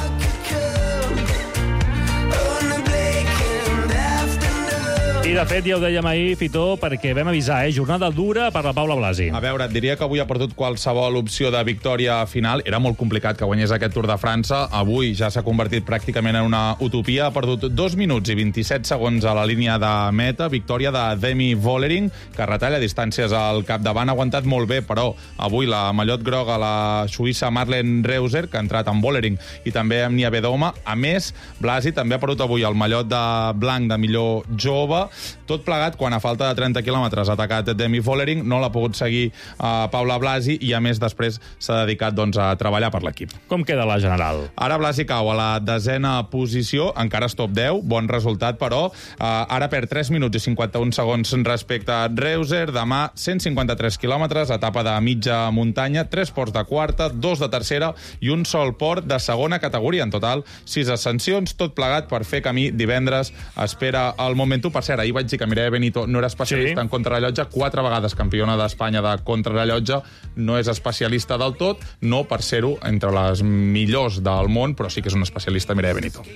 I I, de fet, ja ho dèiem ahir, Fitó, perquè vam avisar, eh? Jornada dura per la Paula Blasi. A veure, et diria que avui ha perdut qualsevol opció de victòria final. Era molt complicat que guanyés aquest Tour de França. Avui ja s'ha convertit pràcticament en una utopia. Ha perdut dos minuts i vint-i-set segons a la línia de meta. Victòria de Demi Vollering, que retalla distàncies al capdavant. Ha aguantat molt bé, però avui la mallot groga, la suïssa Marlen Reuser, que ha entrat amb Vollering i també amb Nia Bedoma. A més, Blasi també ha perdut avui el mallot de blanc de millor jove. Tot plegat, quan a falta de trenta quilòmetres ha atacat Demi Vollering, no l'ha pogut seguir a Paula Blasi i, a més, després s'ha dedicat doncs, a treballar per l'equip. Com queda la general? Ara Blasi cau a la desena posició, encara és top deu, bon resultat, però eh, ara perd tres minuts i cinquanta-un segons respecte a Reuser. Demà, cent cinquanta-tres quilòmetres, etapa de mitja muntanya, tres ports de quarta, dos de tercera i un sol port de segona categoria. En total, sis ascensions, tot plegat per fer camí divendres. Espera el Momentum. Per cert, ahir vaig dir que Mireia Benito no era especialista sí. en contrarellotge, quatre vegades campiona d'Espanya de contrarellotge, no és especialista del tot, no per ser-ho entre les millors del món, però sí que és una especialista, Mireia Benito.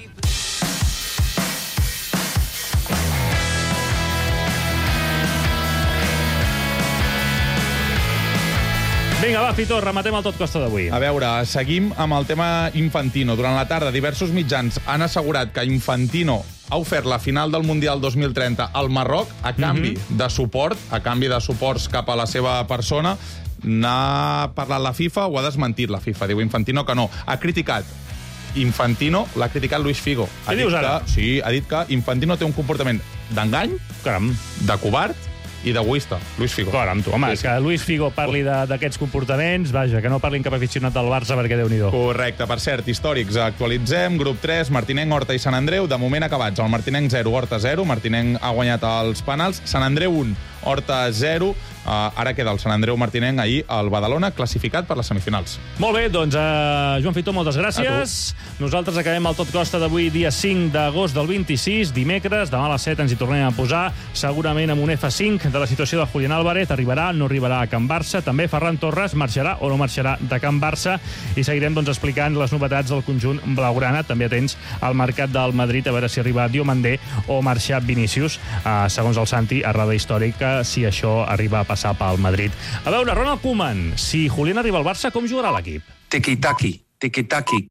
Vinga, va, Fitó, rematem el Tot Costa d'avui. A veure, seguim amb el tema Infantino. Durant la tarda, diversos mitjans han assegurat que Infantino ha ofert la final del Mundial dos mil trenta al Marroc a canvi mm-hmm. de suport, a canvi de suports cap a la seva persona. N'ha parlat la FIFA o ha desmentit la FIFA? Diu Infantino que no. Ha criticat Infantino, l'ha criticat Luis Figo. Ha Què dius ara? Que, sí, ha dit que Infantino té un comportament d'engany, caram, de covard i d'egoista. Luis Figo. Caram, tu, home, sí, és que Luis Figo parli d'aquests comportaments, vaja, que no parlin cap aficionat del Barça, perquè Déu-n'hi-do. Correcte, per cert, històrics. Actualitzem, grup tres, Martinenc, Horta i Sant Andreu. De moment acabats. El Martinenc zero, Horta zero. Martinenc ha guanyat els penals. Sant Andreu un, Horta zero. Uh, ara queda el Sant Andreu Martinenc ahir al Badalona, classificat per les semifinals. Molt bé, doncs, uh, Joan Fitó, moltes gràcies. Nosaltres acabem el Tot Costa d'avui, dia cinc d'agost del vint-i-sis, dimecres. Demà a les set ens hi tornem a posar, segurament amb un efa cinc de la situació de Julián Álvarez. Arribarà, no arribarà a Can Barça. També Ferran Torres marxarà o no marxarà de Can Barça. I seguirem doncs, explicant les novetats del conjunt blaugrana. També atents al mercat del Madrid, a veure si arriba Diomandé o marxa Vinícius. Uh, segons el Santi, errada històrica, si això arriba a passar pel Madrid. A veure, Ronald Koeman, si Julián arriba al Barça, com jugarà l'equip? Tiki-taki, tiki-taki.